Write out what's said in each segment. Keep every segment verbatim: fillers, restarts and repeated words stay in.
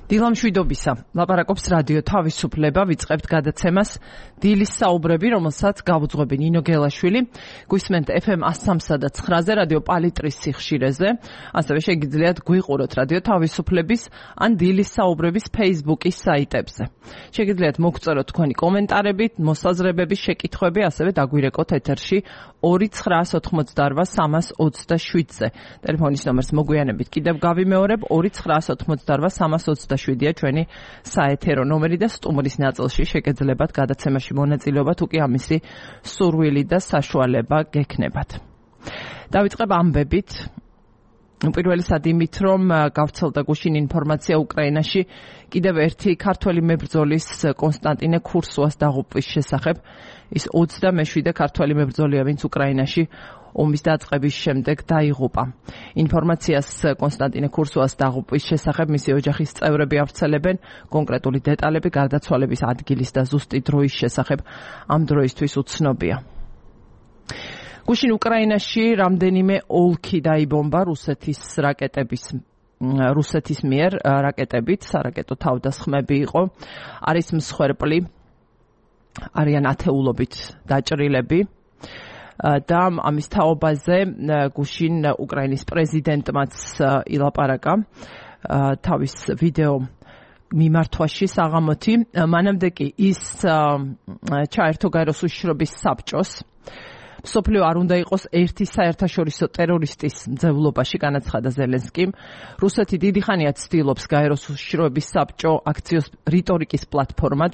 დილამშვიდობისა. ლაპარაკობს რადიო თავისუფლება, ვიწყებთ გადაცემას დილის საუბრები, რომელსაც გავუძღვები ნინო გელაშვილი. გვისმენთ ეფ ემ one oh three და nine-ზე რადიო პალიტრის სიხშირეზე. ასევე შეგიძლიათ გვიყუროთ რადიო თავისუფლების ან დილის საუბრების Facebook-ის საიტებზე. შეგიძლიათ მოგწეროთ თქვენი კომენტარები, მოსაზრებები, შეკითხვები, ასევე დაგვირეკოთ ეთერში ორი ცხრაას ოთხმოცდაორვა სამას ოცდაშვიდზე. ტელეფონის ნომერს მოგვიანებით კიდევ გავიმეორებ ორი ცხრაას ოთხმოცდაორვა სამას ოცდაშვიდია ჩვენი საეთერო ნომერი და სტუმრის ნაწილში შეგეძლებათ გადაცემაში მონაწილეობა, თუ კი ამისი სურვილი და საშუალება გექნებათ. დავიწყებ ამბებით. პირველისად იმით, რომ გავრცელდა გუშინ ინფორმაცია უკრაინაში კიდევ ერთი ქართველი მებრძოლის კონსტანტინე ქურსუას დაღუპვის შესახებ. ის ოცდამეშვიდე ქართველი მებრძოლია, ვინც უკრაინაში ომის დაწყების შემდეგ დაიღუპა. ინფორმაციას კონსტანტინე ქურსუას დაღუპვის შესახებ მისი ოჯახის წევრები ავრცელებენ. კონკრეტული დეტალები გარდაცვალების ადგილის და ზუსტი დროის შესახებ ამ დროისთვის უცნობია. გუშინ უკრაინაში რამდენიმე ოლქი დაიბომბა რუსეთის რაკეტების რუსეთის მიერ რაკეტებით, სარაკეტო თავდასხმები იყო. არის მსხვერპლი, არიან ათეულობით დაჭრილები. და ამის თაობაზე გუშინ უკრაინის პრეზიდენტმაც ილაპარაკა თავის ვიდეო მიმართვაში საღამოთი. მანამდე კი ის ჩაერთო გაეროს უშიშრობის საბჭოს. მსოფლიო არ უნდა იყოს ერთი საერთაშორისო ტერორისტის მძევლობაში, განაცხადა ზელენსკიმ. რუსეთი დიდი ხანია ცდილობს გაეროს უშიშროების საბჭო აქციოს რიტორიკის პლატფორმად.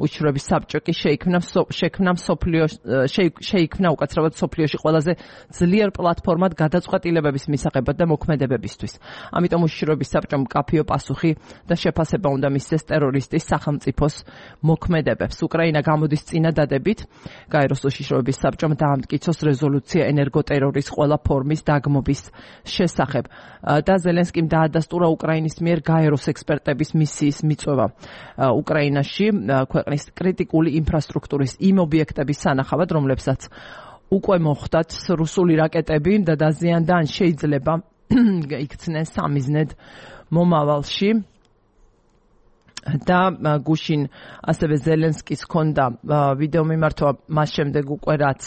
უშიშროების საბჭო კი შეიქმნა შექმნა მსოფლიო შეიქმნა უკაცრავად მსოფლიოში ყველაზე ძლიერ პლატფორმად გადაწყვეტილებების მისაღებად და მოქმედებებისთვის. ამიტომ უშიშროების საბჭომ მკაფიო პასუხი და შეფასება უნდა მისცეს ტერორისტის სახელმწიფოს მოქმედებებს. უკრაინა გამოდის წინადადებით გაეროს უშიშროების საბჭომ დაამტკიცა იცოს რეზოლუცია ენერგოტერორის ყველა ფორმის დაგმობის შესახებ და ზელენსკიმ დაადასტურა უკრაინის მიერ გაეროს ექსპერტების მისიის მიწვევა უკრაინაში ქვეყნის კრიტიკული ინფრასტრუქტურის იმ ობიექტების სანახავად, რომლებსაც უკვე მოხვდათ რუსული რაკეტები და დაზიანდა ან შეიძლება იქცნენ სამიზნედ მომავალში. და გუშინ ასევე ზელენსკის ჰქონდა ვიდეო მიმართვა მას შემდეგ უკვე რაც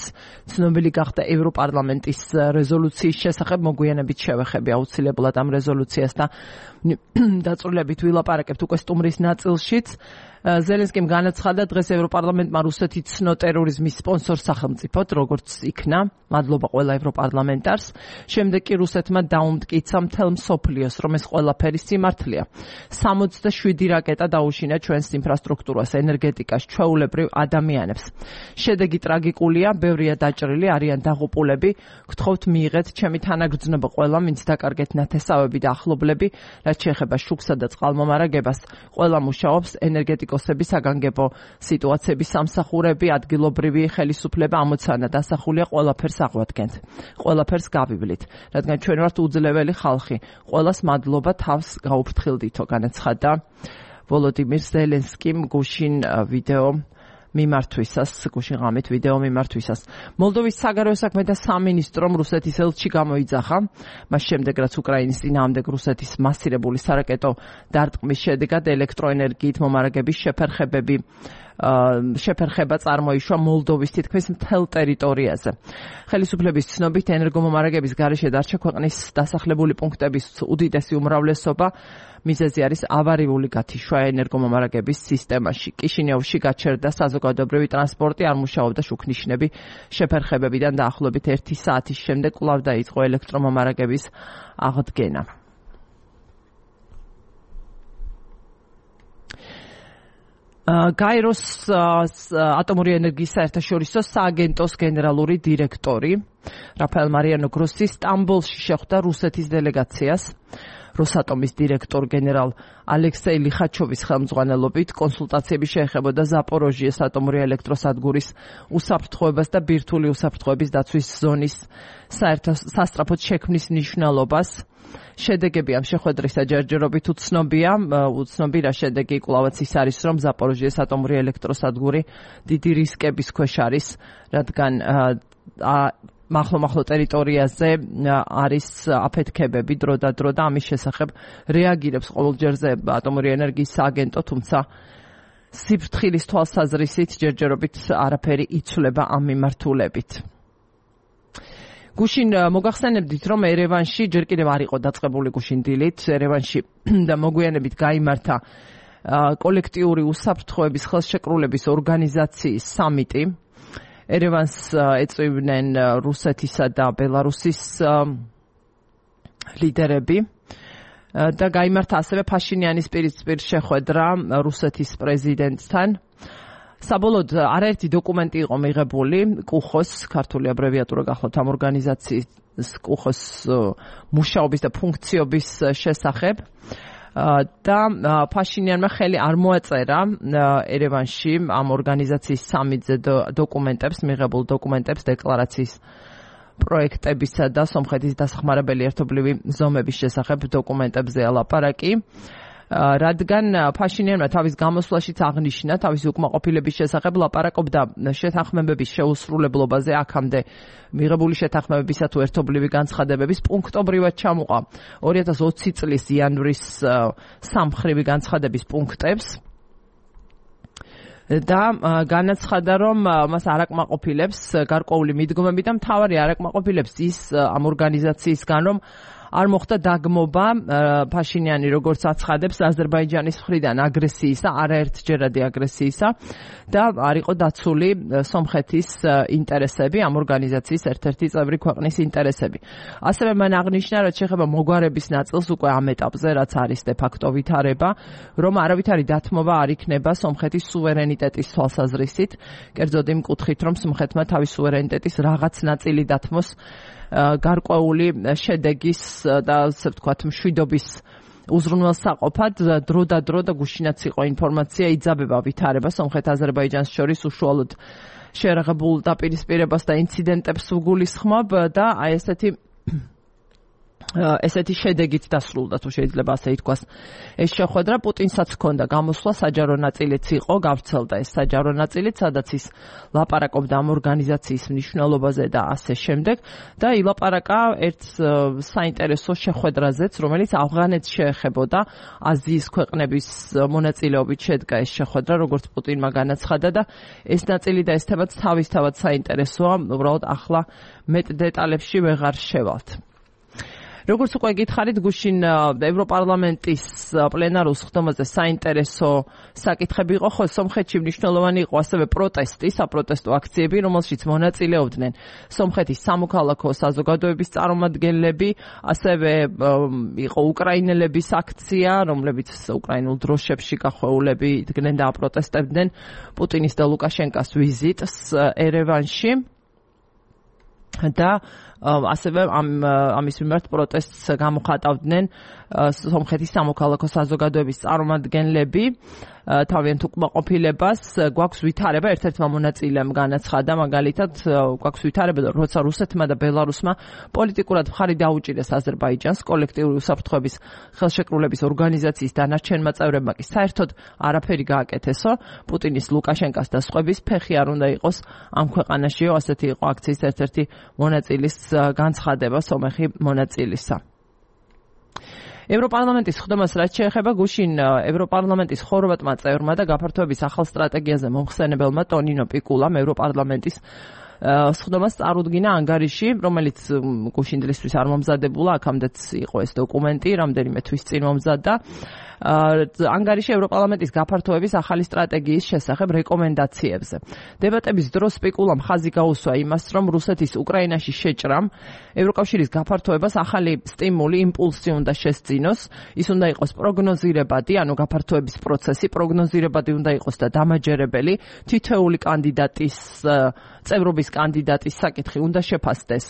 ცნობილი გახდა ევროპარლამენტის რეზოლუციის შესახებ. მოგვიანებით შევეხები აუცილებლად ამ რეზოლუციას და დაწვრილებით ვილაპარაკებთ უკვე სტუმრის ნაწილშიც. ზელენსკიმ განაცხადა, დღეს ევროპარლამენტმა რუსეთი ცნო ტერორიზმის სპონსორ სახელმწიფოდ, როგორც იქნა. მადლობა ყველა ევროპარლამენტარს. შემდეგ კი რუსეთმა დაუმტკიცა მთელ მსოფლიოს, რომ ეს ყველაფერი სიმართლეა. სამოცდაშვიდი რაკეტა დაუშინა ჩვენს ინფრასტრუქტურას, ენერგეტიკას, ჩვეულებრივ ადამიანებს. შედეგი ტრაგიკულია, ბევრია დაჭრილი, არიან დაღუპულები. გთხოვთ მიიღეთ ჩემი თანაგრძნობა ყველამ, ვინც დაკარგეთ ნათესავები და ახლობლები, რაც შეეხება შუქსა და წყალმომარაგებას. ყველა მუშაობს ენერგეტიკოს საგანგებო სიტუაციების სამსახურები, ადგილობრივი ხელისუფლება ამოცანა დასახულია ყველაფერს აღვადგენთ. ყველაფერს გავივლით, რადგან ჩვენ ვართ უძლეველი ხალხი. ყველას მადლობა, თავს გაუფრთხილდითო, განაცხადა ვოლოდიმირ ზელენსკიმ გუშინ ვიდეო მიმართვისას, გუშინ ღამით ვიდეო მიმართვისას. მოლდოვის საგარეო საქმეთა სამინისტრომ რუსეთის ელჩი გამოიძახა, მას შემდეგ რაც უკრაინის წინააღმდეგ რუსეთის მასირებული სარაკეტო დარტყმის შედეგად ელექტროენერგიით მომარაგების შეფერხებები შეფერხება წარმოიშვა მოლდოვის თითქმის მთელ ტერიტორიაზე. ხელისუფლების ცნობით ენერგომომარაგების გარეშე დარჩა ქვეყნის დასახლებული პუნქტების უდიდესი უმრავლესობა. მიზეზი არის ავარიული გათიშვა ენერგომომარაგების სისტემაში. კიშინიოვში გაჩერდა საზოგადოებრივი ტრანსპორტი, არ მუშაობდა შუქნიშნები. შეფერხებებიდან დაახლოებით ერთი საათის შემდეგ კვლავ დაიწყო ელექტრომომარაგების აღდგენა. გაეროს ატომური ენერგიის საერთაშორისო სააგენტოს გენერალური დირექტორი რაფაელ მარიანო გროსი სტამბოლში შეხვდა რუსეთის დელეგაციას. როსატომის დირექტორ გენერალ ალექსეი ლიხაჩოვის ხელმძღვანელობით კონსულტაციები შეეხებოდა ზაპოროჟიეს ატომური ელექტროსადგურის უსაფრთხოებას და ბირთვული უსაფრთხოების დაცვის ზონის სასწრაფოდ შექმნის მნიშვნელობას. შედეგები ამ შეხვედრისა ჯერჯერობით უცნობია. უცნობი რა შედეგი კვლავაც ის არის, რომ ზაპოროჟიეს ატომური ელექტროსადგური დიდი რისკების ქვეშ არის, რადგან მახლო-მახლო ტერიტორიაზე არის აფეთქებები დრო და დრო და ამის შესახებ რეაგირებს ყოველჯერზე ატომური ენერგიის სააგენტო, თუმცა სიფრთხილის თვალსაზრისით ჯერჯერობით არაფერი იცვლება ამ მიმართულებით. გუშინ მოგახსენებდით, რომ ერევანში ჯერ კიდევ არ იყო დაწყებული გუშინ დილით, ერევანში და მოგვიანებით გაიმართა კოლექტიური უსაფრთხოების ხელშეკრულების ორგანიზაციის სამიტი. ერევანს ეწვივნენ რუსეთისა და ბელარუსის ლიდერები და გაიმართა ასევე ფაშინიანის პირისპირ შეხვედრა რუსეთის პრეზიდენტთან. საბოლოოდ არაერთი დოკუმენტი იყო მიღებული კუხოს, ქართული აბრევიატურა გახლავთ ამ ორგანიზაციის კუხოს მუშაობის და ფუნქციობის შესახებ და ფაშინიანმა ხელი არ მოაწერა ერევანში ამ ორგანიზაციის სამიტზე დოკუმენტებს, მიღებულ დოკუმენტებს, დეკლარაციის პროექტებისა და სომხეთის დასახმარებელი ერთობლივი ზომების შესახებ დოკუმენტებზე ალაპარაკი. რადგან ფაშინიანმა თავის გამოსვლაშიც აღნიშნა თავისი უკმაყოფილების შესახებ ლაპარაკობდა შეთანხმებების შეუსრულებლობაზე, აქამდე მიღებული შეთანხმებებისა თუ ერთობლივი განცხადებების პუნქტობრივად ჩამოყვა ორი ათას ოცი წლის იანვრის სამმხრივი განცხადების პუნქტებს და განაცხადა, რომ მას არ აკმაყოფილებს გარკვეული მიდგომები და მთავარი არ აკმაყოფილებს ის ამ ორგანიზაციისგან, რომ არ მოხდა დაგმობა ფაშინიანი როგორც აცხადებს აზერბაიჯანის მხრიდან აგრესიისა, არაერთჯერადი აგრესიისა და არ იყო დაცული სომხეთის ინტერესები, ამ ორგანიზაციის ერთ-ერთი წევრი ქვეყნის ინტერესები. ასევე მან აღნიშნა, რაც შეეხება მოგვარების ნაწილს უკვე ამ ეტაპზე, რაც არის de facto ვითარება, რომ არავითარი დათმობა არ იქნება სომხეთის სუვერენიტეტის თვალსაზრისით, კერძოდ იმ კუთხით, რომ სომხეთმა თავის სუვერენიტეტის რაღაც ნაწილი დათმოს გარკვეული შედეგის და ასე ვთქვათ მშვიდობის უზრუნველსაყოფად დრო და დრო და გუშინაც იყო ინფორმაცია იძაბება ვითარება სომხეთ-აზერბაიჯანს შორის უშუალოდ შეერაღებულ დაპირისპირებას და ინციდენტებს უგულისხმობ და აი ესეთი ესეთი შედეგით დასრულდა, თუ შეიძლება ასე ითქვას. ეს შეხვედრა პუტინსაც ჰქონდა გამოსვლა, საჯარო ნაწილიც იყო, გავრცელდა ეს საჯარო ნაწილიც, სადაც ის ლაპარაკობდა ამ ორგანიზაციის მნიშვნელობაზე და ასე შემდეგ და ილაპარაკა ერთ საინტერესო შეხვედრაზეც, რომელიც ავღანეთს შეეხებოდა, აზიის ქვეყნების მონაწილეობით შედგა ეს შეხვედრა, როგორც პუტინმა განაცხადა და ეს ნაწილი და ეს თემაც თავისთავად საინტერესოა, უბრალოდ ახლა მეტ დეტალებში ვეღარ შევალთ. როგორც უკვე გითხარით, გუშინ ევროპარლამენტის პლენარულ სხდომაზე საინტერესო საკითხები იყო, ხო სომხეთში მნიშვნელოვანი იყო ასევე პროტესტი, საპროტესტო აქციები, რომელშიც მონაწილეობდნენ სომხეთის სამოქალაქო საზოგადოების წარმომადგენლები, ასევე იყო უკრაინელების აქცია, რომლებიც უკრაინულ დროშებში გახვეულები იდგნენ და აპროტესტებდნენ პუტინის და ლუკაშენკას ვიზიტს ერევანში. და ასევე ამ ამის მიმართ პროტესტს გამოხატავდნენ სომხეთის სამოქალაქო საზოგადოების წარმომადგენლები. თავიანთ უკმაყოფილებას გვაქვს ვითარება, ერთ-ერთმა მონაწილემ განაცხადა, მაგალითად გვაქვს ვითარება, როცა რუსეთმა და ბელარუსმა პოლიტიკურად მხარი დაუჭირეს აზერბაიჯანს, კოლექტიური უსაფრთხოების ხელშეკრულების ორგანიზაციის დანარჩენმა წევრებმა კი საერთოდ არაფერი გააკეთესო, პუტინის, ლუკაშენკას და სხვების ფეხი არ უნდა იყოს ამ ქვეყანაშიო, ასეთი იყო აქციის ერთ-ერთი მონაწილის განცხადება, სომეხი მონაწილისა. ევროპარლამენტის სხდომას რაც შეეხება, გუშინ ევროპარლამენტის ხორვატმა წევრმა და გაფართოების ახალ სტრატეგიაზე მომხსენებელმა ტონინო პიკულამ ევროპარლამენტის სხდომას წარუდგინა ანგარიში, რომელიც გუშინ დღისთვის არ მომზადებულა, აქამდეც იყო ეს დოკუმენტი, რამდენიმე თვის წინ მომზადდა. ანგარიში ევროპარლამენტის გაფართოების ახალი სტრატეგიის შესახებ რეკომენდაციებზე. დებატების დროს სპიკულამ ხაზი გაუსვა იმას, რომ რუსეთის უკრაინაში შეჭრამ ევროკავშირის გაფართოებას ახალი სტიმული, იმპულსი უნდა შესძინოს. ის უნდა იყოს პროგნოზირებადი, ანუ გაფართოების პროცესი პროგნოზირებადი უნდა იყოს და დამაჯერებელი. თითოეული კანდიდატის წევრობის კანდიდატის საკითხი უნდა შეფასდეს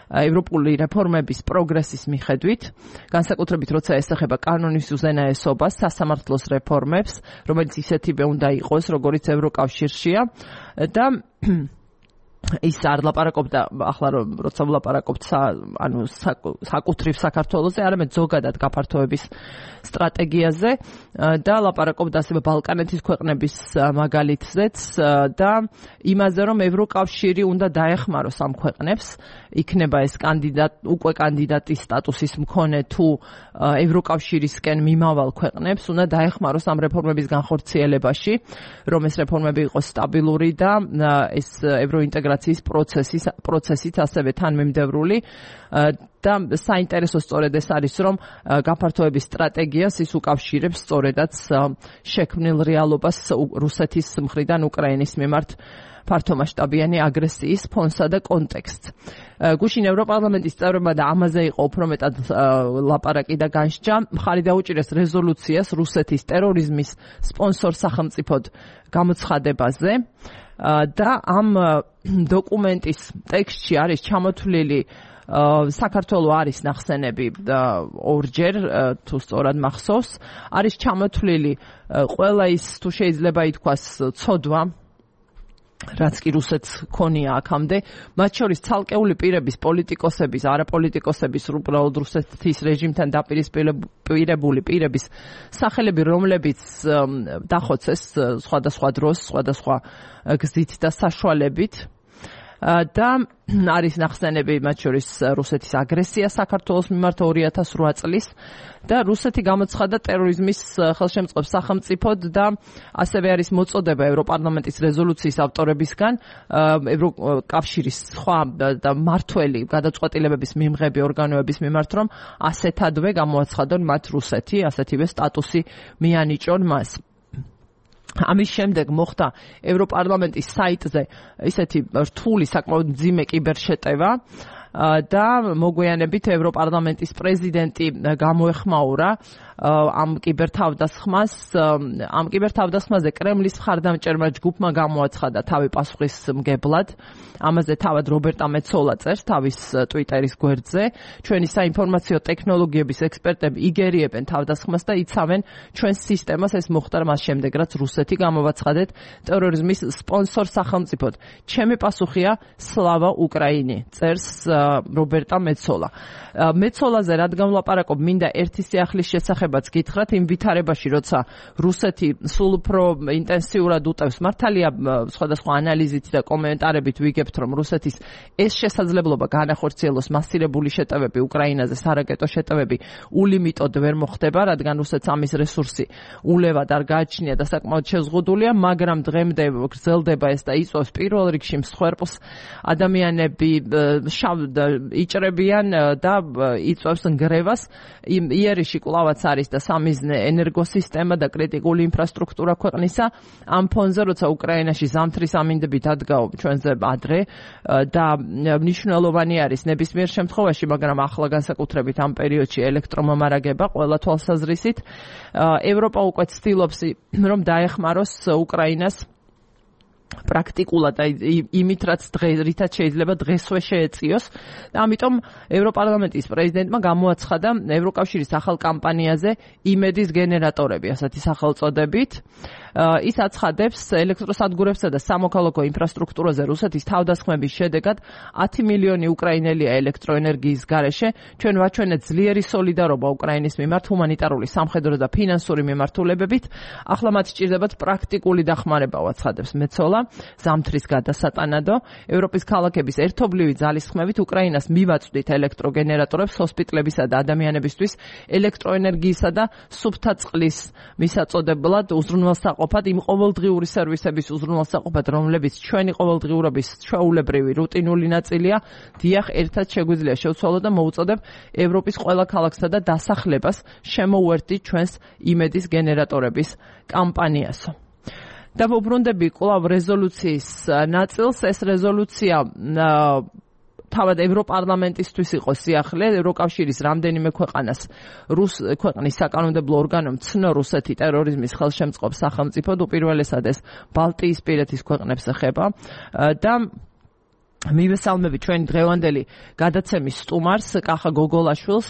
ევროპული რეფორმების პროგრესის მიხედვით, განსაკუთრებით როცა ესახება კანონის უზენაესობას, სასამართლოს რეფორმებს, რომელიც ისეთივე უნდა იყოს, როგორც ევროკავშირშია და ის არ ლაპარაკობდა ახლა როცა ვლაპარაკობთ ანუ საკუთრივ საქართველოზე, არამედ ზოგადად გაფართოების სტრატეგიაზე და ლაპარაკობდა ასევე ბალკანეთის ქვეყნების მაგალითზეც და იმაზე, რომ ევროკავშირი უნდა დაეხმაროს ამ ქვეყნებს, იქნება ეს კანდიდატ უკვე კანდიდატის სტატუსის მქონე თუ ევროკავშირისკენ მიმავალ ქვეყნებს უნდა დაეხმაროს ამ რეფორმების განხორციელებაში, რომ ეს რეფორმები იყოს სტაბილური და ეს ევროინტეგრაციის პროცესის პროცესით ასევე თანმიმდევრული და საინტერესო სწორედ ეს არის, რომ გაფართოების სტრატეგიას ის უკავშირებს სწორედაც შექმნილ რეალობას რუსეთის მხრიდან უკრაინის მიმართ ფართომასშტაბიანი აგრესიის ფონსა და კონტექსტს. გუშინ ევროპარლამენტის წევრებმა და ამაზე იყო უფრო მეტად ლაპარაკი და განსჯა, მხარი დაუჭირეს რეზოლუციას რუსეთის ტერორიზმის სპონსორ სახელმწიფოდ გამოცხადებაზე და ამ დოკუმენტის ტექსტში არის ჩამოთვლილი საქართველოს არის ნახსენები ორჯერ თუ სწორად მახსოვს, არის ჩამოთვლილი ყველა ის თუ შეიძლება ითქვას ცოდვა რაც კი რუსეთს ქონია აქამდე, მათ შორის ცალკეული პირების, პოლიტიკოსების, არაპოლიტიკოსების, უბრალოდ რუსეთის რეჟიმთან დაპირისპირებული პირების სახელები, რომლებიც დახოცეს სხვადასხვა დროს, სხვადასხვა გზით და საშუალებით და არის ნახსენები მათ შორის რუსეთის აგრესია საქართველოს მიმართ ორი ათას რვა წლის და რუსეთი გამოცხადა ტერორიზმის ხელშემწყობს სახელმწიფოდ და ასევე არის მოწოდება ევროპარლამენტის რეზოლუციის ავტორებისგან ევროკავშირის სხვა და მართველი გადაწყვეტილებების მიმღები ორგანოების მიმართ, რომ ასეთადვე გამოაცხადონ მათ რუსეთი, ასეთივე სტატუსი მიანიჭონ მას. ამის შემდეგ მოხდა ევროპარლამენტის საიტზე ისეთი რთული საკმაოდ მძიმე კიბერშეტევა და მოგვიანებით ევროპარლამენტის პრეზიდენტი გამოეხმაურა ამ კიბერთავდასხმას. ამ კიბერთავდასხმაზე კრემლის მხარდამჭერმა ჯგუფმა გამოაცხადა თავი პასუხისმგებლად. ამაზე თავად რობერტა მეცოლა წერს თავის ტვიტერის გვერდზე. ჩვენი საინფორმაციო ტექნოლოგიების ექსპერტები იგერიებენ თავდასხმას და იცავენ ჩვენს სისტემას. ეს მოხდა მას შემდეგ, რაც რუსეთი გამოვაცხადეთ ტერორიზმის სპონსორ სახელმწიფოდ. ჩემი პასუხია სლავა უკრაინი, წერს რობერტა მეცოლა. მეცოლაზე რადგან ვლაპარაკობ, მინდა ერთი სიახლის შესახებაც გითხრათ იმ ვითარებაში, როცა რუსეთი სულ უფრო ინტენსიურად უტევს. მართალია სხვადასხვა ანალიზით და კომენტარებით ვიგებთ, რომ რუსეთის ეს შესაძლებლობა განახორციელოს მასირებული შეტევები უკრაინაზე, სარაკეტო შეტევები ულიმიტოდ ვერ მოხდება, რადგან რუსეთს ამის რესურსი ულევად არ გააჩნია და საკმაოდ შეზღუდულია, მაგრამ დღემდე გრძელდება ეს და იწვევს პირველ რიგში მსხვერპლს. ადამიანები იჭრებიან და იწვევს ნგრევას. იერიში კვლავაც არის და სამიზნე ენერგოსისტემა და კრიტიკული ინფრასტრუქტურა ქვეყნისა. ამ ფონზე, როცა უკრაინაში ზამთრის ამინდები დადგაო ჩვენზე ადრე და მნიშვნელოვანი არის ნებისმიერ შემთხვევაში, მაგრამ ახლა განსაკუთრებით ამ პერიოდში ელექტრომომარაგება ყველა თვალსაზრისით. ევროპა უკვე ცდილობს, რომ დაეხმაროს უკრაინას პრაქტიკულად იმით, რაც რითაც შეიძლება დღესვე შეეწიოს და ამიტომ ევროპარლამენტის პრეზიდენტმა გამოაცხადა ევროკავშირის ახალ კამპანიაზე იმედის გენერატორები, ასეთი სახელწოდებით. ის აცხადებს ელექტროსადგურებსა და სამოქალაქო ინფრასტრუქტურაზე რუსეთის თავდასხმების შედეგად ათი მილიონი უკრაინელია ელექტროენერგიის გარეშე. ჩვენ ვაჩვენეთ ძლიერი სოლიდარობა უკრაინის მიმართ ჰუმანიტარული, სამხედრო და ფინანსური მიმართულებებით. ახლა მათ სჭირდებათ პრაქტიკული დახმარება, აცხადებს მეცოლა. ზამთრის გადასატანადო ევროპის ქალაქების ერთობლივი ძალისხმევით უკრაინას მივაწვდით ელექტროგენერატორებს ჰოსპიტლებისა და ადამიანებისთვის ელექტროენერგიისა და სუფთა წყლის მისაწოდებლად უზრუნველსაყოფად, იმ ყოველდღიური სერვისების უზრუნველსაყოფად, რომლებიც ჩვენი ყოველდღიურობის ჩვეულებრივი რუტინული ნაწილია. დიახ, ერთად შეგვიძლია შევცვალოთ და მოუწოდებ ევროპის ყველა ქალაქსა და დასახლებას შემოუერთდით ჩვენს იმედის გენერატორების კამპანიასო. და ვუბრუნდები კვლავ რეზოლუციის ნაწილს. ეს რეზოლუცია თავად ევროპარლამენტისთვის იყო სიახლე, ევროკავშირის რამდენიმე ქვეყანას რუს ქვეყნის საკანონმდებლო ორგანომ ცნო რუსეთი ტერორიზმის ხელშემწყობ სახელმწიფოდ, უპირველესად ეს ბალტიისპირეთის ქვეყნებს ეხება და მივესალმები ჩვენი დღევანდელი გადაცემის სტუმარს, კახა გოგოლაშვილს,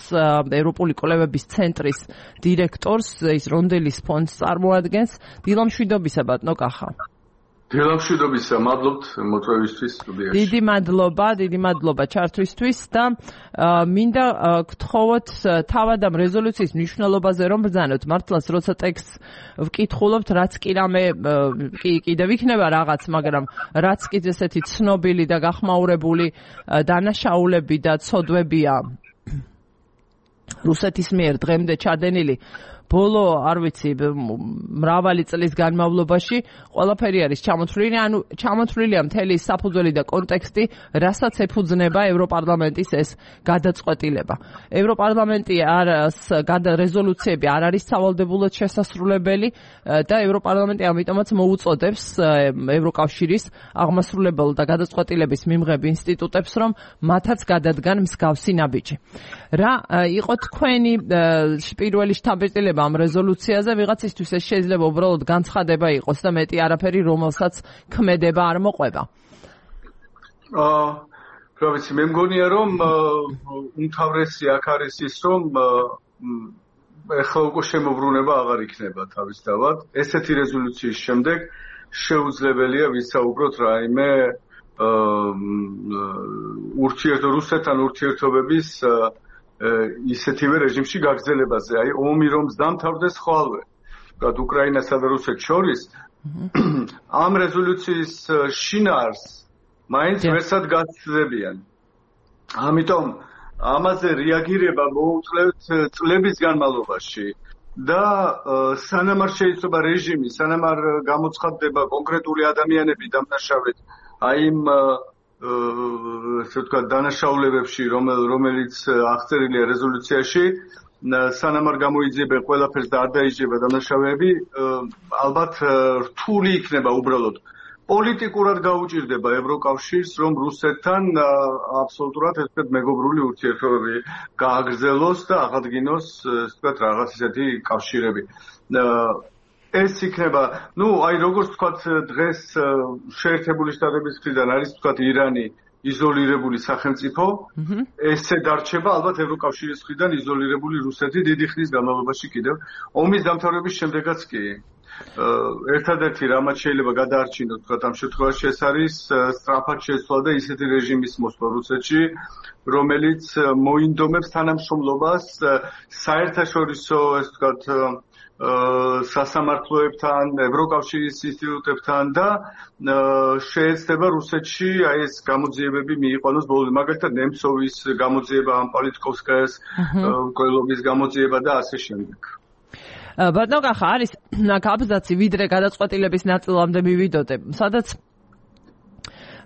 ევროპული კვლევების ცენტრის დირექტორს, ის რონდელის ფონდს წარმოადგენს. დილამშვიდობისა, ბატონო კახა. დილამშვიდობისა, მადლობთ მოწვევისთვის სტუდიაში. დიდი მადლობა, დიდი მადლობა ჩართვისთვის და მინდა გთხოვოთ თავად ამ რეზოლუციის მნიშვნელობაზე რომ ბრძანოთ. მართლაც როცა ტექსტს ვკითხულობთ, რაც კი რამე კიდევ იქნება რაღაც, მაგრამ რაც კი ესეთი ცნობილი და გახმაურებული დანაშაულები და ცოდვებია რუსეთის მიერ დღემდე ჩადენილი ბოლო, არ ვიცი, მრავალი წლის განმავლობაში ყველაფერი არის ჩამოთვლილი, ანუ ჩამოთვლილია მთელი საფუძველი და კონტექსტი, რასაც ეფუძნება ევროპარლამენტის ეს გადაწყვეტილება. ევროპარლამენტი არ რეზოლუციები არ არის სავალდებულოდ შესასრულებელი და ევროპარლამენტი ამიტომაც მოუწოდებს ევროკავშირის აღმასრულებელ და გადაწყვეტილების მიმღებ ინსტიტუტებს, რომ მათაც გადადგან მსგავსი ნაბიჯი. რა იყო თქვენი პირველი შთაბეჭდილება ამ რეზოლუციაზე? ვიღაცისთვის ეს შეიძლება უბრალოდ განცხადება იყოს და მეტი არაფერი, რომელსაც ქმედება არ მოყვება. აა, რა ვიცი, მე მგონია რომ უმთავრესი აქ არის ის, რომ ეხლა უკვე შემოbrunება აღარ იქნება თავისთავად. ესეთი რეზოლუციის შემდეგ შეუძლებელია ვისაუბროთ რაიმე ურთიერთ რუსეთთან ურთიერთობების ისეთივე რეჟიმში გაგრძელებაზე, აი ომი რომ დამთავრდეს ხვალვე, ვთქვათ უკრაინასა და რუსეთს შორის, ამ რეზოლუციის შინაარს მაინც ვერსად გაცდებიან. ამიტომ ამაზე რეაგირება მოუწევთ წლების განმავლობაში და სანამ არ შეიძლება რეჟიმი, სანამ არ გამოცხადდება კონკრეტული ადამიანები დამნაშავედ, აი იმ ესე ვთქვათ დანაშაულებებში, რომელიც აღწერილია რეზოლუციაში, სანამ არ გამოიძიებენ ყველაფერს და არ დაიჭირება დანაშაულები, ალბათ რთული იქნება უბრალოდ პოლიტიკურად გაუჭირდება ევროკავშირს, რომ რუსეთთან აბსოლუტურად ესეთ მეგობრული ურთიერთობები გააგრძელოს და აღადგინოს, ესე ვთქვათ, რაღაც ისეთი კავშირები. ეს იქნება, ну, აი როგორც ვთქვათ, დღეს შეერთებული შტატების მხრიდან არის ვთქვათ ირანი იზოლირებული სახელმწიფო, ესე დარჩება ალბათ ევროკავშირის მხრიდან იზოლირებული რუსეთი დიდი ხნის განმავლობაში კიდევ. ომის დამთავრების შემდეგაც კი ერთადერთი რამაც შეიძლება გადაარჩინოს, ვთქვათ, ამ შემთხვევაში ეს არის სწრაფად შესვლა და ისეთი რეჟიმის მოსვლა რუსეთში, რომელიც მოინდომებს თანამშრომლობას საერთაშორისო, ესე ვთქვათ, სასამართლოებთან, ევროკავშირის ინსტიტუტებთან და შეეცდება რუსეთში აი ეს გამოძიებები მიიყვანოს ბოლომდე, მაგალითად ნემცოვის გამოძიება, ამ პოლიტიკოვსკაიას მკვლელობის გამოძიება და ასე შემდეგ. ბატონო კახა, არის აბზაცი ვიდრე გადაწყვეტილების ნაწილამდე მივიდოდე, სადაც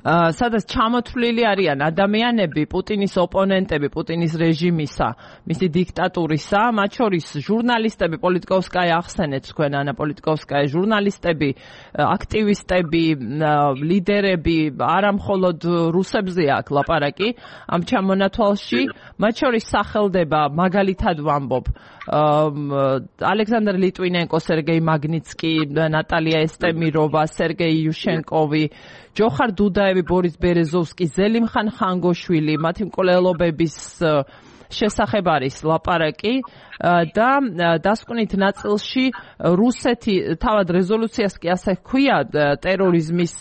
სადაც ჩამოთვლილი არიან ადამიანები, პუტინის ოპონენტები, პუტინის რეჟიმისა, მისი დიქტატურისა, მათ შორის ჟურნალისტები, პოლიტიკოვსკაია ახსენეთ თქვენ, ანა პოლიტიკოვსკაია, ჟურნალისტები, აქტივისტები, ლიდერები, არა მხოლოდ რუსებზე აქვს ლაპარაკი ამ ჩამონათვალში, მათ შორის სახელდება, მაგალითად ვამბობ, ალექსანდრ ლიტვინენკო, სერგეი მაგნიცკი, ნატალია ესტემიროვა, სერგეი იუშენკოვი, ჯოხარ დუდაევი, ბორის ბერეზოვსკი, ზელიმხან ხანგოშვილი, მათი მკვლელობების შესახებ არის ლაპარაკი და დასკვნით ნაწილში რუსეთი თავად რეზოლუციას კი ასე ჰქვია ტერორიზმის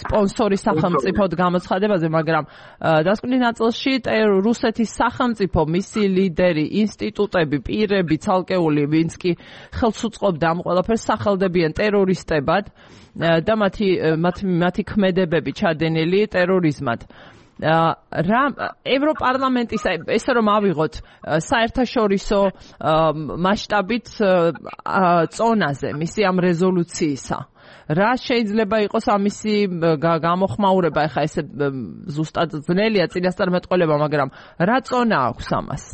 სპონსორი სახელმწიფოდ გამოცხადებაზე, მაგრამ დასკვნით ნაწილში რუსეთის სახელმწიფო, მისი ლიდერი, ინსტიტუტები, პირები, ცალკეული, ვინც კი ხელს უწყობდა ამ ყველაფერს, სახელდებიან ტერორისტებად და მათი მათი ქმედებები ჩადენილი ტერორიზმად. რა ევროპარლამენტის ესე რომ ავიღოთ საერთაშორისო მასშტაბით წონაზე მისი ამ რეზოლუციისა, რა შეიძლება იყოს ამისი გამოხმაურება? ეხლა ესე ზუსტად ძნელია წინასწარმეტყველება, მაგრამ რა წონა აქვს ამას?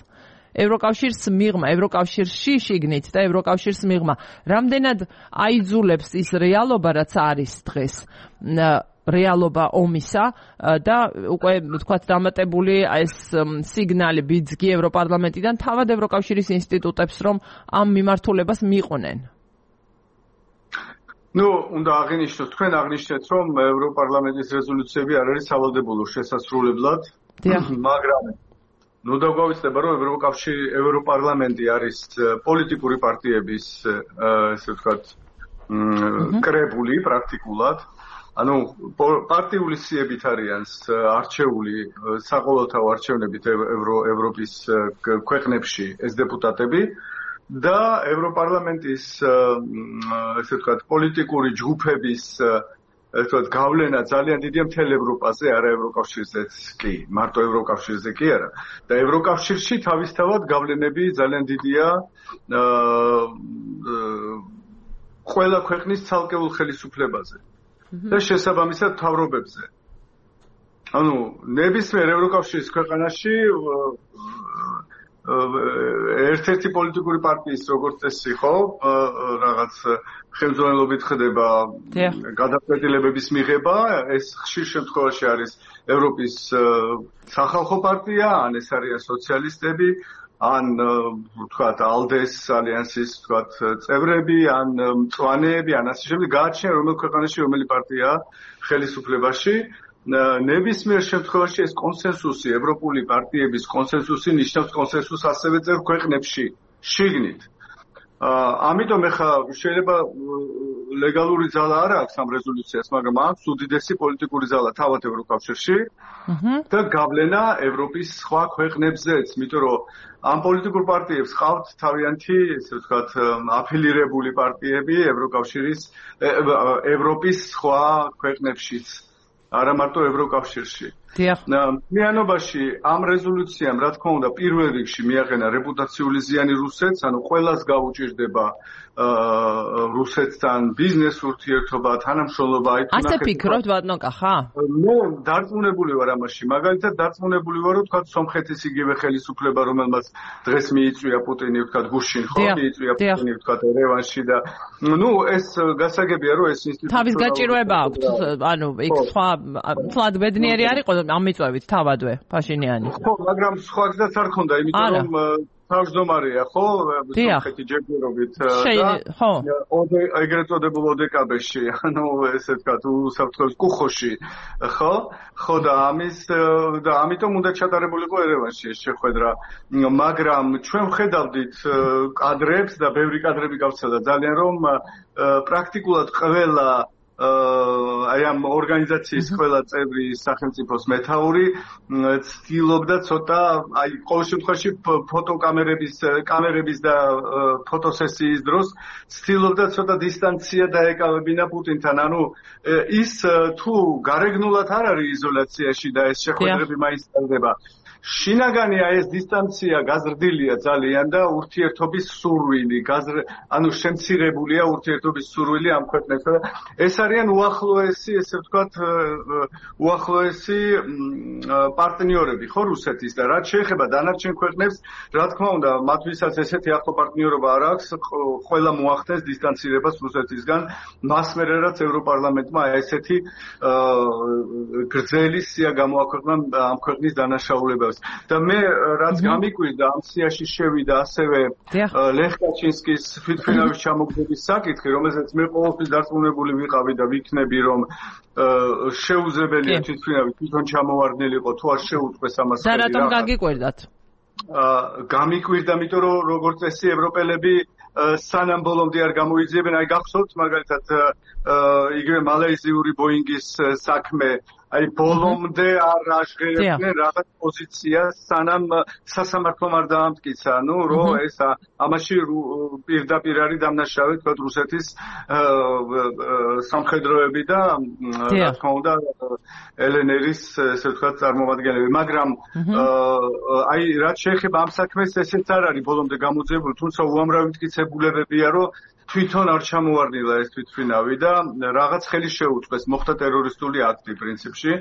ევროკავშირს მიღმა, ევროკავშირში შიგნით და ევროკავშირს მიღმა, რამდენად აიძულებს ის რეალობა, რაც არის დღეს, რეალობა ომისა და უკვე თქვათ დამატებული ეს სიგნალი ბიძგი ევროპარლამენტიდან თავად ევროკავშირის ინსტიტუტებს, რომ ამ მიმართულებას მიიყვნენ. ნუ, უნდა აღინიშნოთ, თქვენ აღნიშნეთ, რომ ევროპარლამენტის რეზოლუციები არ არის სავალდებულო შესასრულებლად, მაგრამ ნუ დაგვავიწყდება, რომ ევროკავშირი, ევროპარლამენტი არის პოლიტიკური პარტიების, ესე ვთქვათ, კრებული პრაქტიკულად. ანუ პარტიული სიებით არიან არჩეული საყოველთაო არჩევნებით ევროპის ქვეყნებში ეს დეპუტატები და ევროპარლამენტის ესე ვთქვათ პოლიტიკური ჯგუფების ესე ვთქვათ გავლენა ძალიან დიდია მთელ ევროპაზე, არა ევროკავშირზეც კი, მარტო ევროკავშირზე კი არა. და ევროკავშირში თავისთავად გავლენები ძალიან დიდია ყველა ქვეყნის ცალკეულ ხელისუფლებაზე. და შესაბამისად თავრობებზე. ანუ ნებისმიერ ევროკავშირის ქვეყანაში ერთ-ერთი პოლიტიკური პარტიის როგორც წესი ხო, რაღაც ხელმძღვანელობით ხდება გადაწყვეტილებების მიღება, ეს ხშირ შემთხვევაში არის ევროპის სახალხო პარტია, ან ეს არიან სოციალისტები, ან ვთქვათ ალდეს ალიანსის ვთქვათ წევრები, ან მწვანეები, ან ასე შემდეგ, გააჩნია რომელ ქვეყანაში რომელი პარტია ხელისუფლებაში. ნებისმიერ შემთხვევაში ეს კონსენსუსი, ევროპული პარტიების კონსენსუსი ნიშნავს კონსენსუსს ასევე წევრ ქვეყნებში, შიგნით. ამიტომ ეხლა შეიძლება ლეგალური ძალა არ აქვს ამ რეზოლუციას, მაგრამ აქვს უდიდესი პოლიტიკური ძალა თავად ევროკავშირში და გავლენა ევროპის სხვა ქვეყნებზეც, იმიტომ რომ ამ პოლიტიკურ პარტიებს ყავთ თავიანთი, ესე ვთქვათ, აფილირებული პარტიები ევროკავშირის ევროპის სხვა ქვეყნებშიც, არა მარტო ევროკავშირში. მიანობაში ამ რეზოლუციამ, რა თქმა უნდა, პირველ რიგში მიაყენა რეპუტაციული ზიანი რუსეთს, ანუ ყველას გაუჭირდება რუსეთთან ბიზნეს ურთიერთობა, თანამშრომლობა, აი თუ ასე ფიქრობთ ბატონო კახა? მე დარწმუნებული ვარ ამაში, მაგალითად დარწმუნებული ვარ, რომ თქვა სომხეთის იგივე ხელისუფლება, რომელმაც დღეს მიიწვია პუტინი, თქვა გუშინ ხო, მიიწვია პუტინი, თქვა ერევანში და ნუ ეს გასაგებია, რომ ეს ინსტიტუტი თავის გაჭირვება აქვს, ანუ იქ სხვა თლად ბედნიერი არ იყო ამიწვევით თავადვე პაშინიანი. ხო, მაგრამ სხვაგზაც არ ქონდა, იმიტომ რომ თავმჯდომარეა, ხო? სომხეთი ჯერჯერობით და ხო. ეგრეთ წოდებულ ოდეკაბეში, ანუ ესე ვთქვათ, უსაფრთხოების კუხოში, ხო? ხო და ამის და ამიტომ უნდა ჩატარებულიყო ერევანში ეს შეხვედრა. მაგრამ ჩვენ ვხედავდით კადრებს და ბევრი კადრები გავცელა ძალიან რომ პრაქტიკულად ყველა აი ამ ორგანიზაციის ყველა წევრი სახელმწიფოს მეთაური ცდილობდა ცოტა აი ყოველ შემთხვევაში ფოტოკამერების კამერების და ფოტოსესიის დროს ცდილობდა ცოტა დისტანცია დაეკავებინა პუტინთან. ანუ ის თუ გარეგნულად არ არის იზოლაციაში და ეს შეხვედრები მაინც ტარდება, შინაგანია ეს დისტანცია გაზრდილია ძალიან და ურთიერთობის სურვილი, ანუ შემცირებულია ურთიერთობის სურვილი ამ ქვეყნებთან. ეს არიან უახლოესი, ესე ვთქვათ, უახლოესი პარტნიორები ხო რუსეთის და რაც შეეხება დანარჩენ ქვეყნებს, რა თქმა უნდა, მათთვისაც ესეთი ახლო პარტნიორობა არ აქვს, ყველა მოახდენს დისტანცირებას რუსეთისგან, მას მერე რაც ევროპარლამენტმა ესეთი გრძელი სია გამოაქვეყნა ამ ქვეყნის დანაშაულებას. და მე რაც გამიკვირდა ამ სიაში შევიდა ასევე ლეხ კაჩინსკის თვითმფრინავის ჩამოგდების საკითხი, რომელზეც მე ყოველთვის დარწმუნებული ვიყავი და ვიქნები, რომ შეუძლებელია თვითმფრინავი თვითონ ჩამოვარდნილიყო, თუ არ შეუწყვეს ამას. და რატომ გაგიკვირდათ? გამიკვირდა, იმიტომ რომ როგორც წესი ევროპელები სანამ ბოლომდე არ გამოიძიებენ, აი გახსოვთ მაგალითად იგივე მალაიზიური ბოინგის საქმე, აი ბოლომდე არ აღღერებდნენ რაღაც პოზიციას, სანამ სასამართლომ არ დაამტკიცა, ნუ რომ ეს ამაში პირდაპირ არის დამნაშავე თქვა რუსეთის სამხედროები და რა თქმა უნდა ელენერის ესე ვთქვათ წარმომადგენლები, მაგრამ აი რაც შეეხება ამ საქმეს, ესეც არ არის ბოლომდე გამოძიებული, თუმცა უამრავი მტკიცებულებებია, რომ თვითონ არ ჩამოვარდნილა ეს თვითმფრინავი და რაღაც ხელი შეუწყეს, მოხდა ტერორისტული აქტი პრინციპში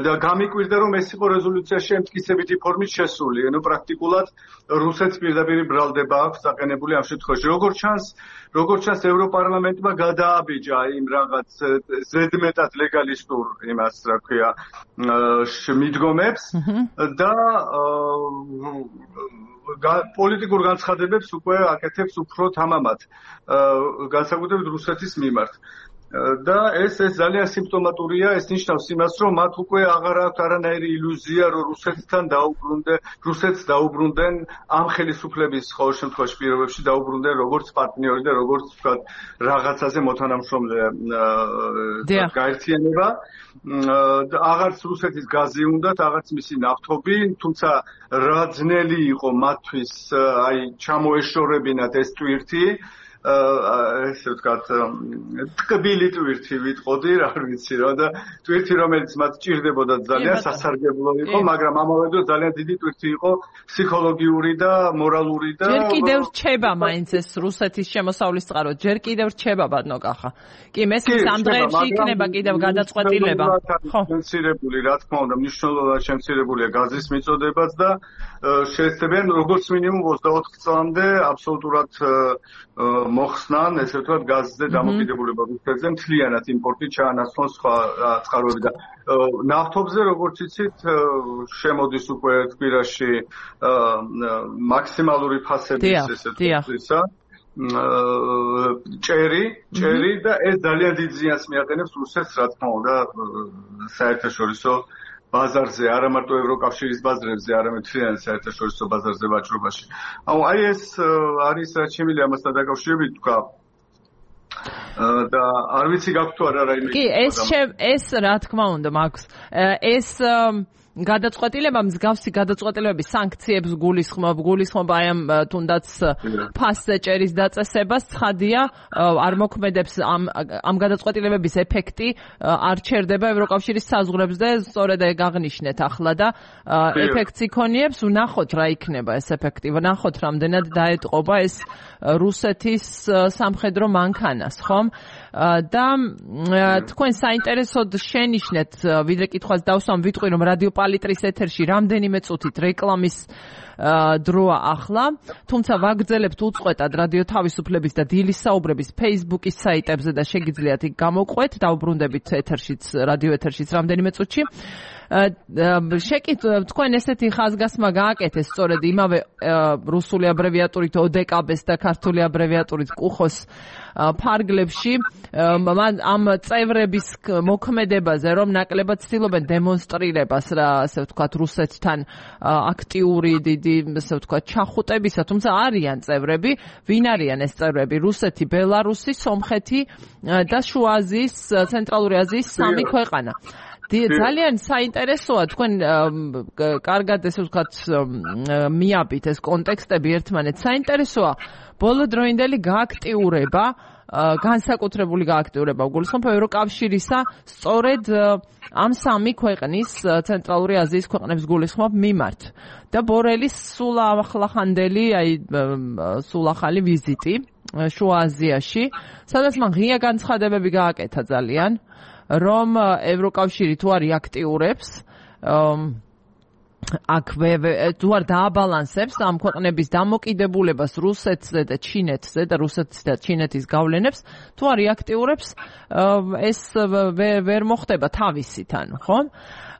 და გამიკვირდა, რომ ეს იყო რეზოლუციაში ემტკიცებითი ფორმით შესული, ანუ პრაქტიკულად რუსეთს პირდაპირ ბრალდება აქვს დაყენებული ამ შემთხვევაში. როგორც ჩანს, როგორც ჩანს ევროპარლამენტმა გადააბიჯა იმ რაღაც ზედმეტად ლეგალისტურ იმას, რა ქვია, მიდგომებს და პოლიტიკურ განცხადებებს უკვე აკეთებს უფრო თამამად, განსაკუთრებით რუსეთის მიმართ. და ეს ეს ძალიან სიმპტომატურია, ეს ნიშნავს იმას, რომ მათ უკვე აღარ აქვს არანაირი ილუზია, რომ რუსეთთან დაუბრუნდნენ, რუსეთს დაუბრუნდნენ ამ ხელისუფლების ყოველ შემთხვევაში პირობებში დაუბრუნდნენ როგორც პარტნიორი და როგორც ვთქვათ რაღაცაზე მოთანამშრომლე გაერთიანება. აღარც რუსეთის გაზი უნდათ, აღარც მისი ნავთობი, თუმცა რა ძნელი იყო მათთვის აი ჩამოეშორებინათ ეს ტვირთი, ესე ვთქვათ, ტკბილი ტვირთი ვიტყოდი, რა ვიცი რა და ტვირთი რომელიც მათ ჭირდებოდა ძალიან სასარგებლო იყო, მაგრამ ამავე დროს ძალიან დიდი ტვირთი იყო ფსიქოლოგიური და მორალური და ჯერ კიდევ რჩება მაინც ეს რუსეთის შემოსავლის წყარო, ჯერ კიდევ რჩება ბატონო კახა. კი, მესმის ამ დღეებში იქნება კიდევ გადაწყვეტილება. ხო, შემცირებული, რა თქმა უნდა, მნიშვნელოვნად შემცირებულია გაზის მიწოდებაც და შეეცდებიან როგორც მინიმუმ ოცდაოთხ წლამდე აბსოლუტურად მოხსნან, ესე ვთქვათ, გაზზე დამოკიდებულება რუსეთზე, მთლიანად იმპორტი ჩაანაცვლონ სხვა წყაროები და ნავთობზე, როგორც იცით, შემოდის უკვე თბილისში მაქსიმალური ფასების, ესე ვთქვათ, ჭერი, ჭერი და ეს ძალიან დიდ ზიანს მიაყენებს რუსეთს, რა თქმა უნდა, საერთაშორისო ბაზარზე, არა მარტო ევროკავშირის ბაზრებზე, არამედ მთლიან საერთაშორისო ბაზარზე ვაჭრობაში. ანუ აი ეს არის რაც შემიძლია ამასთან დაკავშირებით თქვა. და არ ვიცი გაქვთ თუ არა რაიმე. კი, ეს ეს რა თქმა უნდა მაქვს. ეს გადაწყვეტილება მსგავსი გადაწყვეტილებების სანქციებს გულისხმობ, გულისხმობ აი ამ თუნდაც ფასზე ჭერის დაწესებას, ცხადია, არ მოქმედებს ამ ამ გადაწყვეტილებების ეფექტი, არ ჩერდება ევროკავშირის საზღვრებს და სწორედ ეგ აღნიშნეთ ახლა და ეფექტს იქონიებს, ვნახოთ რა იქნება ეს ეფექტი, ვნახოთ რამდენად დაეტყობა ეს რუსეთის სამხედრო მანქანას, ხომ? და თქვენ საინტერესოდ შენიშნეთ, ვიდრე კითხვას დავსვამ, ვიტყვი რომ რადიო პალიტრის ეთერში რამდენიმე წუთით რეკლამის დროა ახლა, თუმცა ვაგრძელებთ უწყვეტად რადიო თავისუფლების და დილის საუბრების Facebook-ის საიტებზე და შეგიძლიათ იქ გამოვყვეთ, დავბრუნდებით ეთერშიც, რადიო ეთერშიც რამდენიმე წუთში. შეკით თქვენ ესეთი ხაზგასმა გააკეთეს სწორედ იმავე რუსული აბრევიატურით ოდეკაბეს და ქართული აბრევიატურით კუხოს ფარგლებში ამ წევრების მოქმედებაზე რომ ნაკლებად ცდილობენ დემონსტრირებას რა ასე ვთქვათ რუსეთთან აქტიური დიდი ასე ვთქვათ ჩახუტებისა, თუმცა არიან წევრები, ვინ არიან ეს წევრები? რუსეთი, ბელარუსი, სომხეთი და შუა აზიის, ცენტრალური აზიის სამი ქვეყანა. ძალიან საინტერესოა თქვენ კარგად ესე ვთქვათ მიაბით ეს კონტექსტები ერთმანეთს. საინტერესოა ბოლოდროინდელი გააქტიურება, განსაკუთრებული გააქტიურება გულისხმობ ევროკავშირისა სწორედ ამ სამი ქვეყნის ცენტრალური აზიის ქვეყნებს გულისხმობ მიმართ და ბორელის სულ ახლახანდელი, აი სულ ახალი ვიზიტი შუა აზიაში, სადაც მან ღია განცხადებები გააკეთა ძალიან, რომ ევროკავშირი თუ არ იაქტიურებს აქვე თუ არ დააბალანსებს ამ ქვეყნების დამოკიდებულებას რუსეთზე და ჩინეთზე და რუსეთის და ჩინეთის გავლენებს, თუ არ იაქტიურებს ეს ვერ მოხდება თავისით, ანუ ხო?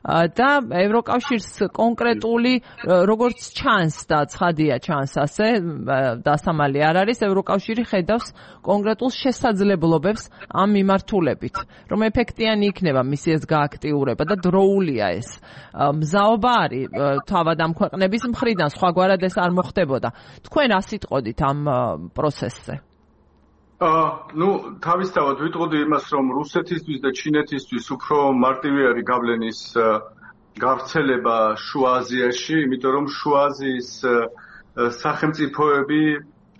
და ევროკავშირს კონკრეტული როგორც ჩანს და ცხადია ჩანს ასე დასამალი არ არის, ევროკავშირი ხედავს კონკრეტულ შესაძლებლობებს ამ მიმართულებით, რომ ეფექტიანი იქნება მისი ეს გააქტიურება და დროულია ეს. მზაობა არის თავად ამ ქვეყნების მხრიდან, სხვაგვარად ეს არ მოხდებოდა. თქვენ რა სიტყოდით ამ პროცესზე? აა, ну, თავისთავად ვიტყოდი იმას, რომ რუსეთისთვის და ჩინეთისთვის უფრო მარტივი არის გავლენის გავრცელება შუა აზიაში, იმიტომ რომ შუა აზიის სახელმწიფოები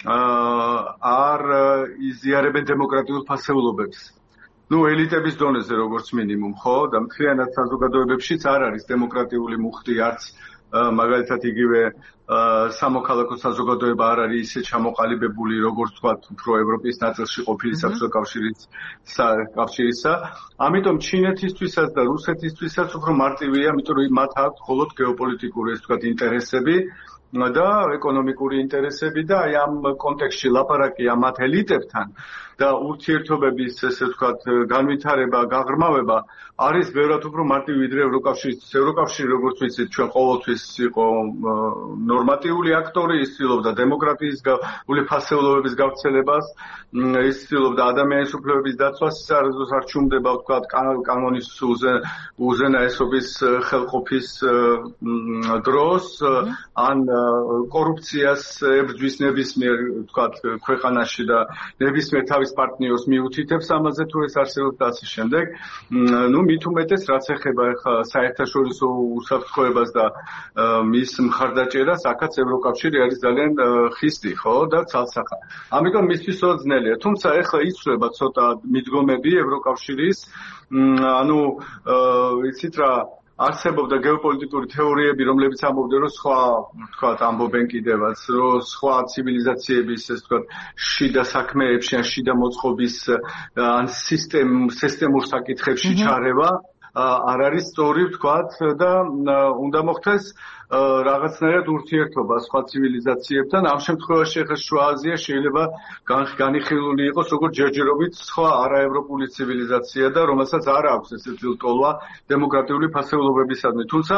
არ იზიარებენ დემოკრატიულ ფასეულობებს. ну, ელიტების დონეზე როგორც მინიმუმ, ხო? და მთლიანად საზოგადოებებშიც არ არის დემოკრატიული მუხტი, არც მაგალითად იგივე სამოქალაქო საზოგადოება არ არის ისე ჩამოყალიბებული, როგორც თქვათ, უფრო ევროპის ნაწილში ყოფილი საბჭოთა კავშირის კავშირისა. ამიტომ ჩინეთისთვისაც და რუსეთისთვისაც უფრო მარტივია, იმიტომ რომ მათ აქვს მხოლოდ გეოპოლიტიკური, ესე ვთქვათ, ინტერესები და ეკონომიკური ინტერესები და აი ამ კონტექსტში ლაპარაკი ამ ელიტებთან და ურთიერთობების ესე ვთქვათ განვითარება, გაღრმავება არის ბევრად უფრო მარტივი ვიდრე ევროკავშირის. ევროკავშირი როგორც ვიცით ჩვენ ყოველთვის იყო ნორმატიული აქტორი, ის ცდილობდა დემოკრატიის ფასეულობების გავრცელებას, ის ცდილობდა ადამიანის უფლებების დაცვას, ის არ ჩუმდება ვთქვათ კანონის უზენაესობის ხელყოფის დროს ან კორუფციას ებრძვის ნებისმიერ ვთქვათ ქვეყანაში და ნებისმიერ თავის პარტნიორს მიუთითებს ამაზე თუ ეს არსებობს და ასე შემდეგ. ნუ მით უმეტეს რაც ეხება ხა საერთაშორისო უსაფრთხოებას და მის მხარდაჭერას, აქაც ევროკავშირი არის ძალიან ხისტი, ხო და ცალსახა. ამიტომ მისთვის ძნელია. თუმცა ეხლა იცვლება ცოტა მიდგომები ევროკავშირის, ანუ იცით რა არსებობდა გეოპოლიტიკური თეორიები, რომლებიც ამბობდნენ, რომ სხვა, ვთქვათ, ამბობენ კიდევაც, რომ სხვა ცივილიზაციების, ესე ვთქვათ, შიდა საქმეებში ან შიდა მოწყობის ან სისტემ სისტემურ საკითხებში ჩარევა არ არის სწორი, ვთქვათ, და უნდა მოხდეს რაღაცნაირად ურთიერთობა სხვა ცივილიზაციებთან. ამ შემთხვევაში ახლა შუა აზია შეიძლება განიხილული იყოს როგორც ჯერჯერობით სხვა არაევროპული ცივილიზაცია და რომელსაც არ აქვს ესეთი ლტოლვა დემოკრატიული ფასეულობებისადმი. თუმცა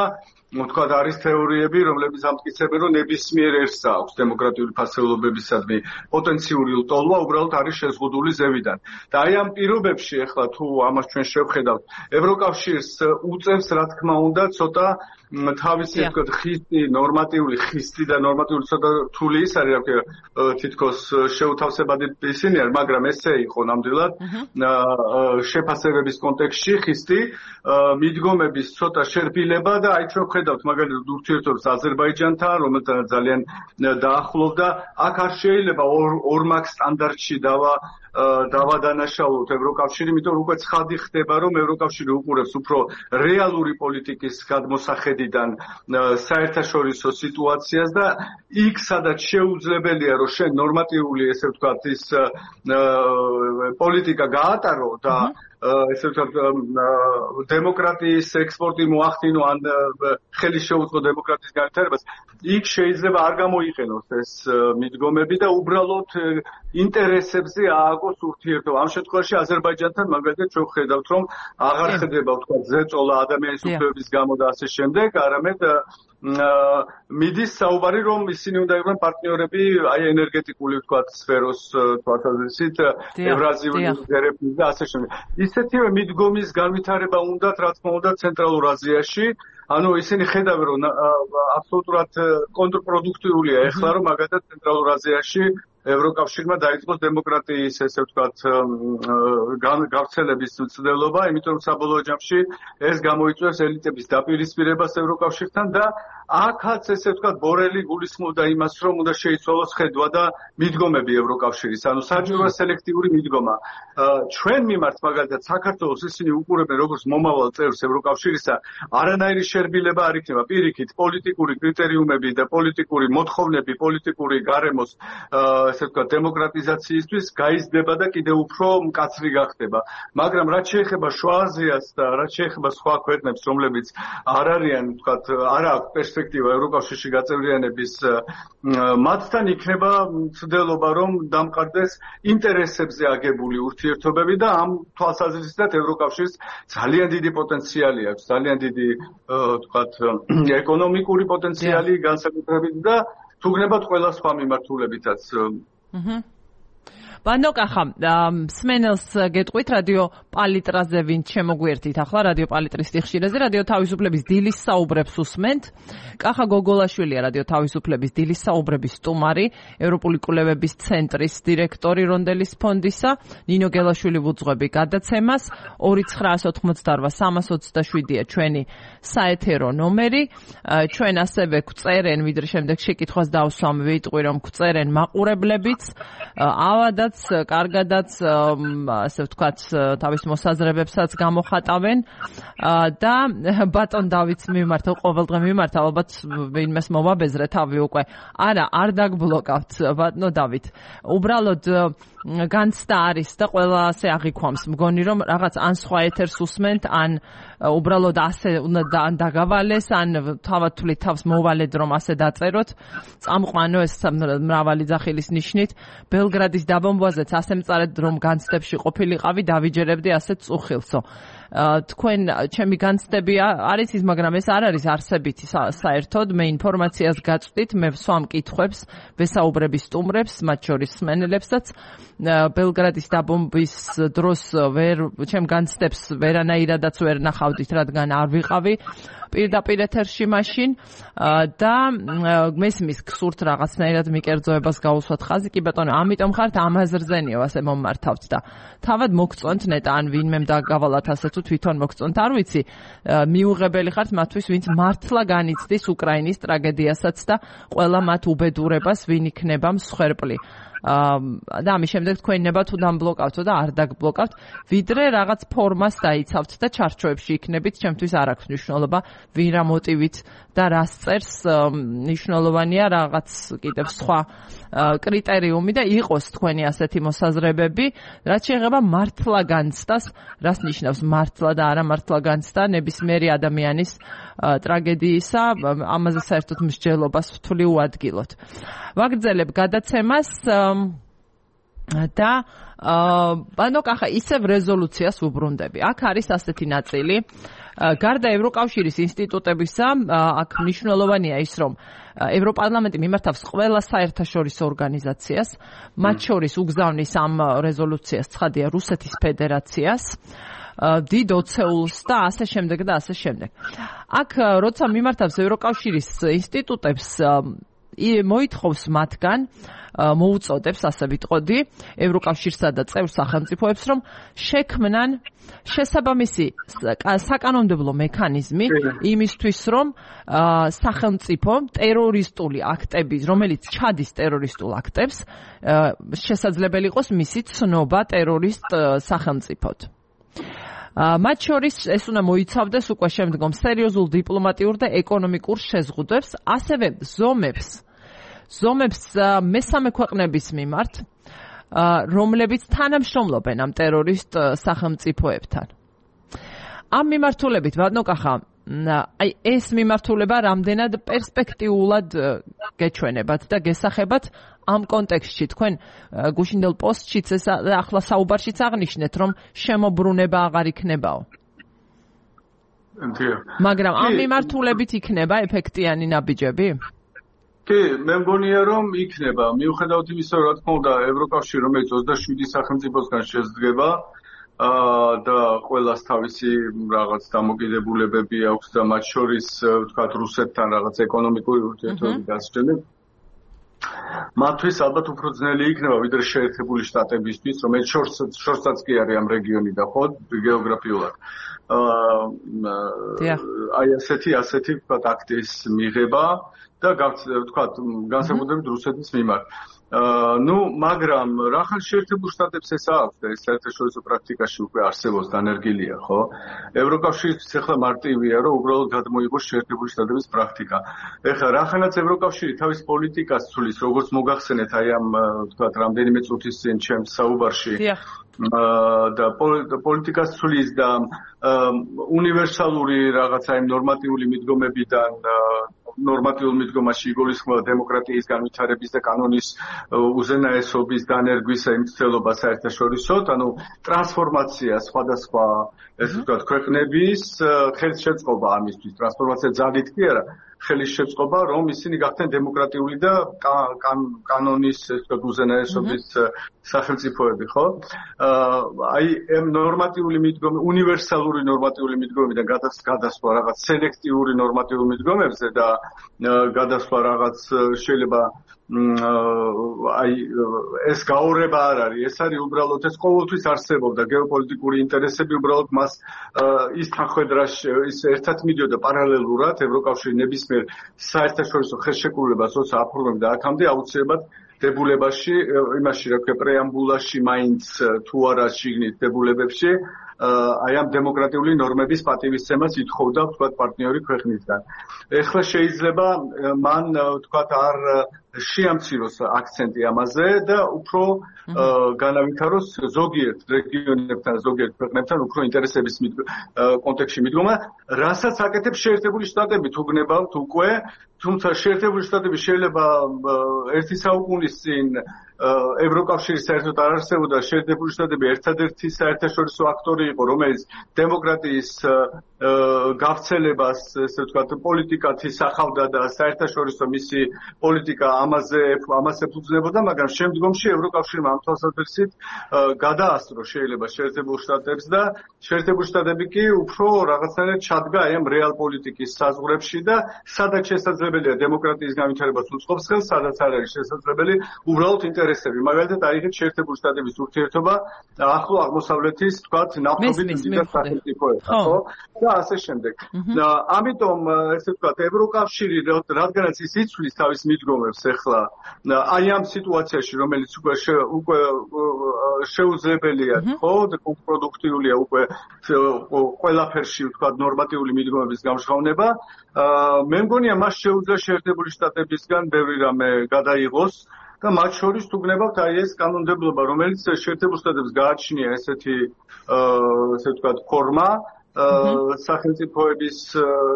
ვთქვათ, არის თეორიები, რომლებიც ამტკიცებენ, რომ ნებისმიერ ერთს აქვს დემოკრატიული ფასეულობებისადმი პოტენციური ლტოლვა, უბრალოდ არის შეზღუდული ზევიდან. და აი ამ პირობებში ახლა თუ ამას ჩვენ შევხედავთ, ევროკავშირს უწევს, რა თქმა უნდა, ცოტა თავისი ვთქვათ ხისტი, ნორმატიული ხისტი და ნორმატიული ცოტა რთული ის არის, რა თითქოს შეუთავსებადი ისინი არის, მაგრამ ესე იყო ნამდვილად შეფასებების კონტექსტში ხისტი, მიდგომების ცოტა შერბილება და აი ჩვენ ვხედავთ მაგალითად ურთიერთობებს აზერბაიჯანთან, რომელთან ძალიან დაახლოვდა, აქ არ შეიძლება ორმაგ სტანდარტში დავა დავადანაშაულოთ ევროკავშირი, იმიტომ რომ უკვე ცხადი ხდება, რომ ევროკავშირი უყურებს უფრო რეალური პოლიტიკის გადმოსახედიდან საერთაშორისო სიტუაციას და იქ სადაც შეუძლებელია, რომ შენ ნორმატიული, ესე ვთქვათ, ის პოლიტიკა გაატარო და ესე ვთქვათ დემოკრატიის ექსპორტი მოახდინო ან ხელი შეუწყო დემოკრატიის განვითარებას, იქ შეიძლება არ გამოიყენოს ეს მიდგომები და უბრალოდ ინტერესებზე ააგოს ურთიერთობა. ამ შემთხვევაში აზერბაიჯანთან მაგალითად ჩვენ ვხედავთ, რომ აღარ ხდება ვთქვათ ზეწოლა ადამიანის უფლებების გამო და ასე შემდეგ, არამედ მიდის საუბარი, რომ ისინი უნდა იყვნენ პარტნიორები აი ენერგეტიკული ვთქვათ სფეროს თვალსაზრისით, ევრაზიული ერებნის და ასე შემდეგ. ისეთივე მიდგომის განვითარება უნდათ, რა თქმა უნდა, ცენტრალურ აზიაში. ანუ ისინი ხედავენ, რომ აბსოლუტურად კონტრპროდუქტიულია ეხლა, რომ მაგალითად ცენტრალურ აზიაში ევროკავშირმა დაიწყოს დემოკრატიის, ესე ვთქვათ, გავრცელების მცდელობა, იმიტომ რომ საბოლოო ჯამში ეს გამოიწვევს ელიტების დაპირისპირებას ევროკავშირთან და აქაც, ესე ვთქვათ, ბორელი გულისხმობდა იმას, რომ უნდა შეიცვალოს ხედვა და მიდგომები ევროკავშირის, ანუ საჭიროა სელექტიური მიდგომა. ჩვენ მიმართ მაგალითად საქართველოს ისინი უყურებენ როგორც მომავალ წევრს ევროკავშირისა, არანაირი შერბილება არ იქნება, პირიქით, პოლიტიკური კრიტერიუმები და პოლიტიკური მოთხოვნები, პოლიტიკური გარემოს ესე ვთქვათ, დემოკრატიზაციისთვის გაიზრდება და კიდევ უფრო მკაცრი გახდება. მაგრამ რაც შეეხება შუა აზიას და რაც შეეხება სხვა ქვეყნებს, რომლებიც არ არიან, ვთქვათ, არ აქვს პერსპექტივა ევროკავშირში გაწევრიანების, მათთან იქნება მცდელობა, რომ დამყარდეს ინტერესებზე აგებული ურთიერთობები და ამ თვალსაზრისით ევროკავშირს ძალიან დიდი პოტენციალი აქვს, ძალიან დიდი, ვთქვათ, ეკონომიკური პოტენციალი განსაკუთრებით და თუ გნებათ ყველა სხვა მიმართულებითაც. ბანოკა ხამ სმენელს გეტყვით რადიო პალიტრაზე ვინ შემოგვიერთით ახლა რადიო პალიტრის სიხშირეზე რადიო თავისუფლების დილის საუბრებს უსმენთ. კახა გოგოლაშვილია რადიო თავისუფლების დილის საუბრების სტუმარი, ევროპული კვლევების ცენტრის დირექტორი რონდელის ფონდისა, ნინო გელაშვილი ვუძღვები გადაცემას. ორი ცხრაას ოთხმოცდაორ სამას ოცდაშვიდია ჩვენი საეთერო ნომერი. ჩვენ ასევე გვწერენ, ვიდრე შემდეგ შეკითხვას დავსვამ, ვიტყვი რომ გვწერენ მაყურებლებიც, ავადაც კარგადაც ასე ვთქვათ თავის მოსაზრებებსაც გამოხატავენ და ბატონ დავითს მიმართა ყოველდღე მიმართა ალბათ ვინმეს მომაბეზრე თავი უკვე არა არ დაგბლოკავთ ბატონო დავით უბრალოდ განცდა არის და ყველა ასე აღიქვამს. მგონი რომ რაღაც ან სხვა ეთერს უსმენთ, ან უბრალოდ ასე უნდა ან დაგავალეს, ან თავად თვლით თავს მოვალედ რომ ასე დაწეროთ. წამყვანო ეს მრავალი ძახილის ნიშნით. ბელგრადის დაბომბვაზეც ასე მწარეთ რომ განცდებში ყოფილიყავი, დავიჯერებდი ასეთ წუხილსო. თქვენ ჩემი განცდები არის ის, მაგრამ ეს არ არის არსებითი საერთოდ. მე ინფორმაციას გაწვდით, მე ვსვამ კითხვებს, ვესაუბრები სტუმრებს, მათ შორის სმენელებსაც. ბელგრადის დაბომბვის დროს ვერ ჩემ განცდებს ვერანაირადაც ვერ ნახავდით, რადგან არ ვიყავი პირდაპირ ეთერში მაშინ და მესმის გსურთ რაღაცნაირად მიკერძოებას გაუსვათ ხაზი. კი ბატონო, ამიტომ ხართ ამაზრზენიო ასე მომართავთ და თავად მოგწონთ ნეტა ან ვინმე დაგავალათ ასე თუ თვითონ მოგწონთ, არ ვიცი. მიუღებელი ხართ მათთვის, ვინც მართლა განიცდის უკრაინის ტრაგედიასაც და ყველა მათ უბედურებას, ვინ იქნება მსხვერპლი. და ამის შემდეგ თქვენ ნება თუ დამბლოკავთო და არ დაგბლოკავთ, ვიდრე რაღაც ფორმას დაიცავთ და ჩარჩოებში იქნებით, ჩემთვის არ აქვს მნიშვნელობა, ვინ რა მოტივით და რას წერს, მნიშვნელოვანია რაღაც კიდევ სხვა კრიტერიუმი და იყოს თქვენი ასეთი მოსაზრებები, რაც შეეხება მართლა განცდას, რას ნიშნავს მართლა და არა მართლა განცდა ნებისმიერი ადამიანის ტრაგედიისა, ამაზე საერთოდ მსჯელობას ვთვლი უადგილოთ. ვაგრძელებ გადაცემას და ანუ კახა ისევ რეზოლუციას ვუბრუნდები. აქ არის ასეთი ნაწილი. გარდა ევროკავშირის ინსტიტუტებისა, აქ მნიშვნელოვანია ის, რომ ევროპარლამენტი მიმართავს ყველა საერთაშორისო ორგანიზაციას, მათ შორის უგზავნის ამ რეზოლუციას ცხადია რუსეთის ფედერაციას, დიდ ოცეულს და ასე შემდეგ და ასე შემდეგ. აქ როცა მიმართავს ევროკავშირის ინსტიტუტებს, მოითხოვს მათგან, მოუწოდებს, ასე ვიტყოდი, ევროკავშირსა და წევრ სახელმწიფოებს, რომ შექმნან შესაბამისი საკანონმდებლო მექანიზმი იმისთვის, რომ სახელმწიფო ტერორისტული აქტების, რომელიც ჩადის ტერორისტულ აქტებს, შესაძლებელი იყოს მისი ცნობა ტერორისტ სახელმწიფოდ. მათ შორის ეს უნდა მოიცავდეს უკვე შემდგომ სერიოზულ დიპლომატიურ და ეკონომიკურ შეზღუდვებს, ასევე ზომებს ზომებს მესამე ქვეყნების მიმართ, რომლებიც თანამშრომლობენ ამ ტერორისტ სახელმწიფოებთან. ამ მიმართულებით, ბატონო კახა, აი ეს მიმართულება რამდენად პერსპექტიულად გეჩვენებათ და გესახებათ ამ კონტექსტში. თქვენ გუშინდელ პოსტშიც ეს ახლა საუბარშიც აღნიშნეთ, რომ შემოbrunება აღარ იქნებაო. მაგრამ ამ მიმართულებით იქნება ეფექტიანი ნაბიჯები? კი, მე მგონია რომ იქნება. მიუხედავად იმისა, რა თქმა უნდა, ევროკავშირი, რომელიც ოცდაშვიდი სახელმწიფოსგან შედგება, და ყველას თავისი რაღაც დამოკიდებულებები აქვს და მათ შორის ვთქვათ რუსეთთან რაღაც ეკონომიკური ურთიერთობები დასჭირდება. მათთვის ალბათ უფრო ძნელი იქნება ვიდრე შეერთებული შტატებისთვის, რომელიც შორსაც კი არის ამ რეგიონი და ხო გეოგრაფიულად. აი ასეთი ასეთი ვთქვათ აქტის მიღება და ვთქვათ განსაკუთრებით რუსეთის მიმართ. ну, მაგრამ რახან შეერთებულ შტატებს ეს აქვს და ეს საერთაშორისო პრაქტიკაში უკვე არსებობს დანერგილია, ხო? ევროკავშირისთვის ახლა მარტივია, რომ უბრალოდ გადმოიღოს შეერთებული შტატების პრაქტიკა. ეხლა რახანაც ევროკავშირი თავის პოლიტიკას ცulis, როგორც მოგახსენეთ, აი ამ ვთქვათ რამდენიმე წუთის წინ ჩემს საუბარში და პოლიტიკას ცulis და უნივერსალური რაღაცა იმ ნორმატიული მიდგომებიდან ნორმატიულ მიდგომაში იგულისხმება დემოკრატიის განვითარების და კანონის უზენაესობის დანერგვის მცდელობა საერთაშორისოდ, ანუ ტრანსფორმაცია სხვადასხვა ესე ვთქვათ ქვეყნების ხელშეწყობა ამისთვის, ტრანსფორმაცია ძალით კი არა, ხელის შეწყობა, რომ ისინი გახდნენ დემოკრატიული და კანონის ესე ვთქვათ უზენაესობის სახელმწიფოები, ხო? აი ამ ნორმატიული მიდგომი, უნივერსალური ნორმატიული მიდგომიდან გადასვლა რაღაც სელექტიური ნორმატიული მიდგომებზე და გადასვლა რაღაც შეიძლება აი ეს გაურება არ არის, ეს არის უბრალოდ ეს ყოველთვის არსებობდა გეოპოლიტიკური ინტერესები, უბრალოდ მას ის თანხმედრაში ის ერთად მიდიოდა პარალელურად ევროკავშირი ნებისმიერ საერთაშორისო ხელშეკრულებას როცა აფორმებდა აქამდე აუცილებლად დებულებაში, იმაში რა ქვია პრეამბულაში მაინც თუ არა შიგნით დებულებებში აი ამ დემოკრატიული ნორმების პატივისცემას ითხოვდა ვთქვათ პარტნიორი ქვეყნისგან. ეხლა შეიძლება მან ვთქვათ არ შეამციროს აქცენტი ამაზე და უფრო განავითაროს ზოგიერთ რეგიონებთან, ზოგიერთ ქვეყნებთან უფრო ინტერესების კონტექსტში მიდგომა, რასაც აკეთებს შეერთებული შტატები, თუ გნებავთ უკვე, თუმცა შეერთებული შტატები შეიძლება ერთი საუკუნის წინ ევროკავშირის საერთოდ არ არსებობდა, შეერთებული შტატები ერთადერთი საერთაშორისო აქტორი იყო, რომელიც დემოკრატიის გავრცელებას, ესე ვთქვათ, პოლიტიკად ისახავდა და საერთაშორისო მისი პოლიტიკა ამაზე ამას ეფუძნებოდა, მაგრამ შემდგომში ევროკავშირმა ამ თვალსაზრისით გადაასწრო შეიძლება შეერთებულ შტატებს და შეერთებული შტატები კი უფრო რაღაცნაირად ჩადგა აი ამ რეალ პოლიტიკის საზღვრებში და სადაც შესაძლებელია დემოკრატიის განვითარებას უწყობს ხელს, სადაც არ არის შესაძლებელი უბრალოდ ინტერესები. მაგალითად, აიღეთ შეერთებული შტატების ურთიერთობა ახლო აღმოსავლეთის, თქვათ, ნავთობით მდიდარ სახელმწიფოებთან, ხო? და ასე შემდეგ. ამიტომ, ესე ვთქვათ, ევროკავშირი, რადგანაც ის იცვლის თავის მიდგომებს ახლა, აი ამ სიტუაციაში, რომელიც უკვე უკვე შეუძლებელია, ხო, კონტრპროდუქტიულია უკვე ყველაფერში, ვთქვათ, ნორმატიული მიდგომების გამჟღავნება, მე მგონია მას შეუძლია შეერთებული შტატებისგან ბევრი რამე გადაიღოს და მათ შორის თუ გნებავთ აი ეს კანონმდებლობა, რომელიც შეერთებულ შტატებს გააჩნია ესეთი ესე ვთქვათ ფორმა სახელმწიფოების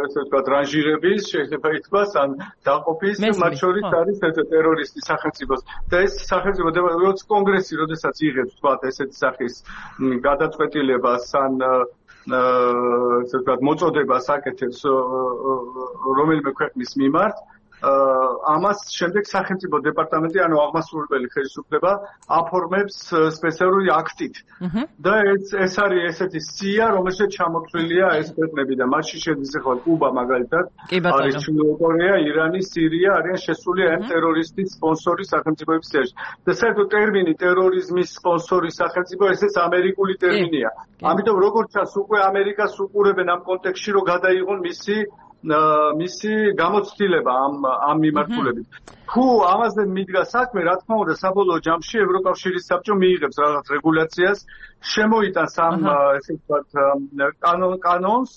ესე ვთქვათ რანჟირების შეიძლება ითქვას ან დაყოფის მათ შორის არის ეს ტერორისტი სახელმწიფოს და ეს სახელმწიფო როცა კონგრესი როდესაც იღებს ვთქვათ ესეთი სახის გადაწყვეტილებას ან ესე ვთქვათ მოწოდებას აკეთებს რომელიმე ქვეყნის მიმართ ამას შემდეგ სახელმწიფო დეპარტამენტი ანუ აღმასრულებელი ხელისუფლება აფორმებს სპეციალური აქტით და ეს ეს არის ესეთი სია რომელშიც ჩამოთვლილია ეს ქვეყნები და მათში შედის ახლა კუბა მაგალითად არის ჩრდილო კორეა, ირანი, სირია არიან შესული ამ ტერორისტის სპონსორი სახელმწიფოების სიაში და საერთოდ ტერმინი ტერორიზმის სპონსორი სახელმწიფო ესეც ამერიკული ტერმინია ამიტომ როგორც ჩანს უკვე ამერიკას უყურებენ ამ კონტექსტში რომ გადაიღონ მისი მისი გამოცდილება ამ ამ მიმართულებით. თუ ამაზე მიდგა საქმე, რა თქმა უნდა, საბოლოო ჯამში ევროკავშირის საბჭო მიიღებს რაღაც რეგულაციას, შემოიტანს ამ ესე ვთქვათ კანონს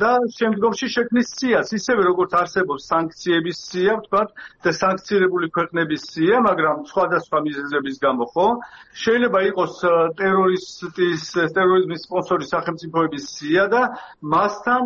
და შემდგომში შექმნის სიას, ისევე როგორც არსებობს სანქციების სია, ვთქვათ, და სანქცირებული ქვეყნების სია, მაგრამ სხვადასხვა მიზეზების გამო, ხო? შეიძლება იყოს ტერორისტის, ტერორიზმის სპონსორი სახელმწიფოების სია და მასთან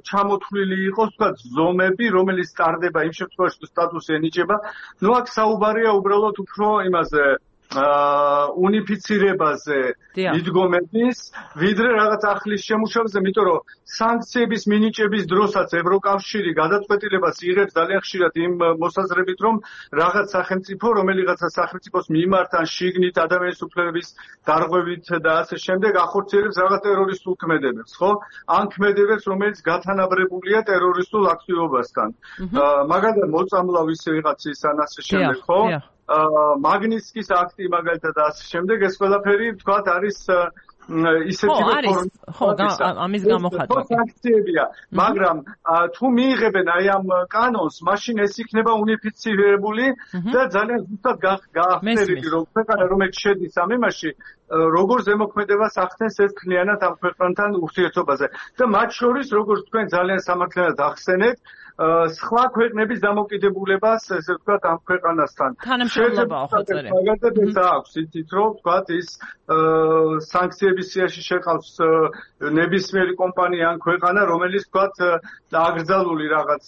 ჩამოთვლილი იყოს, ვთქვათ, ზომები, რომელიც ტარდება იმ შემთხვევაში, თუ სტატუსი ენიჭება. ნუ აქ საუბარია უბრალოდ უფრო იმაზე უნიფიცირებაზე მიდგომების, ვიდრე რაღაც ახლის შემუშავებაზე, იმიტომ რომ სანქციების მინიჭების დროსაც ევროკავშირი გადაწყვეტილებას იღებს ძალიან ხშირად იმ მოსაზრებით, რომ რაღაც სახელმწიფო, რომელიღაცა სახელმწიფოს მიმართ ან შიგნით ადამიანის უფლებების დარღვევით და ასე შემდეგ ახორციელებს რაღაც ტერორისტულ ქმედებებს, ხო? ან ქმედებებს, რომელიც გათანაბრებულია ტერორისტულ აქტივობასთან. მაგალითად, მოწამლავ ისე ვიღაცის ან ასე შემდეგ, ხო? მაგნიტსკის აქტი მაგალითად ასე შემდეგ ეს ყველაფერი თქვათ არის ისეთი ფორმის ხო ამის გამოხატვა სანქციებია მაგრამ თუ მიიღებენ აი ამ კანონს მაშინ ეს იქნება უნიფიცირებული და ძალიან ზუსტად გაახსნელები რომ ქვეყანა რომელიც შედის ამ იმაში როგორ ზემოქმედებას ახდენს ეს ქლიანად ამ ქვეყანთან ურთიერთობაზე და მათ შორის როგორც თქვენ ძალიან სამართლიანად ახსენეთ სხვა ქვეყნების დამოკიდებულებას ესე ვთქვათ ამ ქვეყანასთან თანამშრომლობაა ხო წერე მაგალითად ეს აქვს იცით რომ ვთქვათ ის სანქციების სიაში შეყავს ნებისმიერი კომპანია ან ქვეყანა რომელიც ვთქვათ აკრძალული რაღაც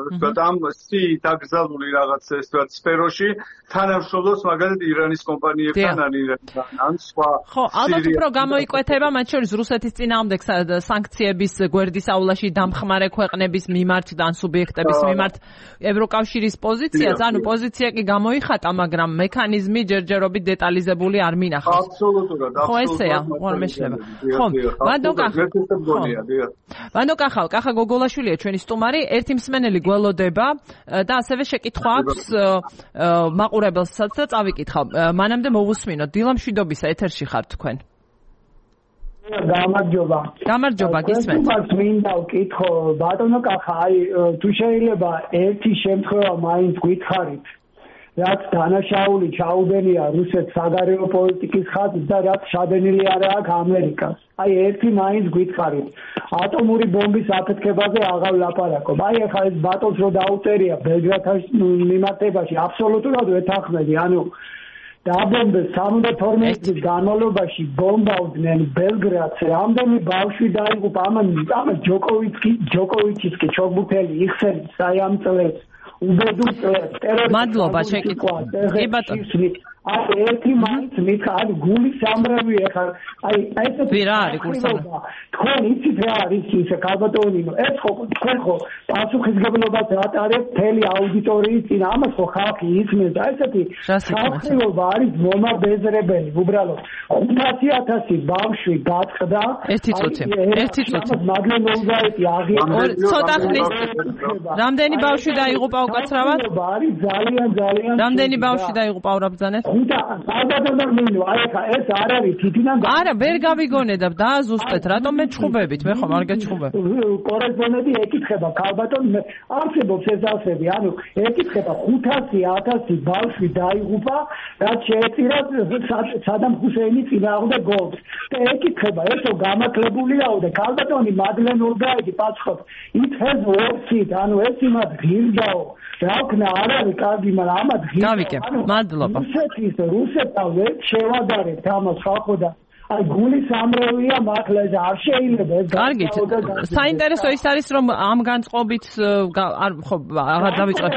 ვთქვათ ამ სიით აკრძალული რაღაც ეს ვთქვათ სფეროში თანამშრომლობს მაგალითად ირანის კომპანიებთან ან ირანთან ან სხვა ხო ალბათ უფრო გამოიკვეთება მათ შორის რუსეთის წინააღმდეგ სანქციების გვერდის აულაში დამხმარე ქვეყნების მიმართ და სუბიექტების მიმართ ევროკავშირის პოზიციაც, ანუ პოზიცია კი გამოიხატა, მაგრამ მექანიზმი ჯერჯერობით დეტალიზებული არ მინახავს. აბსოლუტურად, აბსოლუტურად. ხო ესეა, არ მეშლება. ხო, ვანდო კახა. ვანდო კახა, კახა გოგოლაშვილია ჩვენი სტუმარი, ერთი მსმენელი გველოდება და ასევე შეკითხვა აქვს მაყურებელსაც და წავიკითხავ. მანამდე მოვუსმინოთ, დილამშვიდობისა ეთერში ხართ თქვენ. გამარჯობა. გამარჯობა, გისმენთ. მას მინდა ვკითხო, ბატონო კახა, აი თუ შეიძლება ერთი შემთხვევა მაინც გითხარით. რაც დანაშაული ჩაუდენია რუსეთს საგარეო პოლიტიკის ხაზს და რაც შადენილი არა აქ ამერიკას. აი ერთი მაინც გვითხარით. ატომური ბომბის აფეთქებაზე აღარ ლაპარაკობ. აი ახლა ეს ბატონს რო დაუწერია ბელგრადის მიმართებაში აბსოლუტურად ვეთანხმები. ანუ დაბომბეს სამოცდა თორმეტი წლის განმავლობაში ბომბავდნენ ბელგრადს. რამდენი ბავშვი დაიღუპა ამან ამ ჯოკოვიჩი ჯოკოვიჩის კი ჩოგბუთელი იხსენებს აი ამ წლებს. უბედურ ტერორისტულ მადლობა შეკითხვა. კი ბატონო. აი ერთი მაინც მითხრა აი გულის სამრევი ახლა აი ესეთი რა არის გულის სამრევი? თქვენ იცით რა არის ის კალბატონი ეს ხო თქვენ ხო პასუხისგებლობას ატარებთ მთელი აუდიტორიის წინ ამას ხო ხალხი ისმენს და ესეთი ხალხობა არის მომაბეზრებელი უბრალოდ ხუთასი ათასი ბავშვი გაწყდა ერთი წუთი ერთი წუთი მაგლენ ოლგაიტი აღიარა ცოტა ხნის რამდენი ბავშვი დაიღუპა უკაცრავად არის ძალიან ძალიან რამდენი ბავშვი დაიღუპა ურაბძანეთ და ალბათ მინო აი ხა ეს არ არის თითიდან არა ვერ გავიგონე და დააზუსტეთ რატომ მე ჩხუბებით მე ხომ არ გეჩხუბებ კორესპონდენტი ეკითხება ქალბატონ არსებობს ეს ასები ანუ ეკითხება ხუთასი ათასი ბავშვი დაიღუპა რაც შეეწირა სადამ ჰუსეინი წინააღმდეგ გოლს და ეკითხება ესო გამაკლებულია და ქალბატონი მაგლენ ოლგაიტი პასუხობს it has worked ანუ ეს იმად ღირდაო რა ვქნა არ არის კარგი მაგრამ ამად გავიკე მადლობა რუსეთის რუსეთთან ვერ შევადარებთ ამას ხალხო და აი გულის ამრევია მართლა ეს არ შეიძლება ეს კარგით საინტერესო ის არის რომ ამ განწყობით არ ხო აღარ დავიწყებ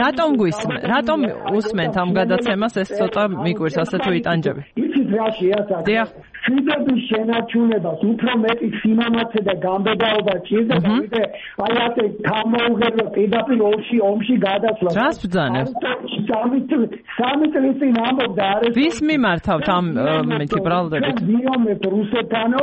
რატომ გვისმენ რატომ უსმენთ ამ გადაცემას ეს ცოტა მიგვირს ასე თუ იტანჯები იცით რა შეასაკეთე შვიდების შენარჩუნებას უფრო მეტი სიმამაცე და გამბედაობა ჭირდა და ვიდრე აი ასე გამოუღებო პირდაპირ ომში ომში გადასვლა რას ბძანებს სამი წლის წინ ამბობდა არის ვის მიმართავთ ამ მეთი ბრალდებით ვიომებ რუსეთანო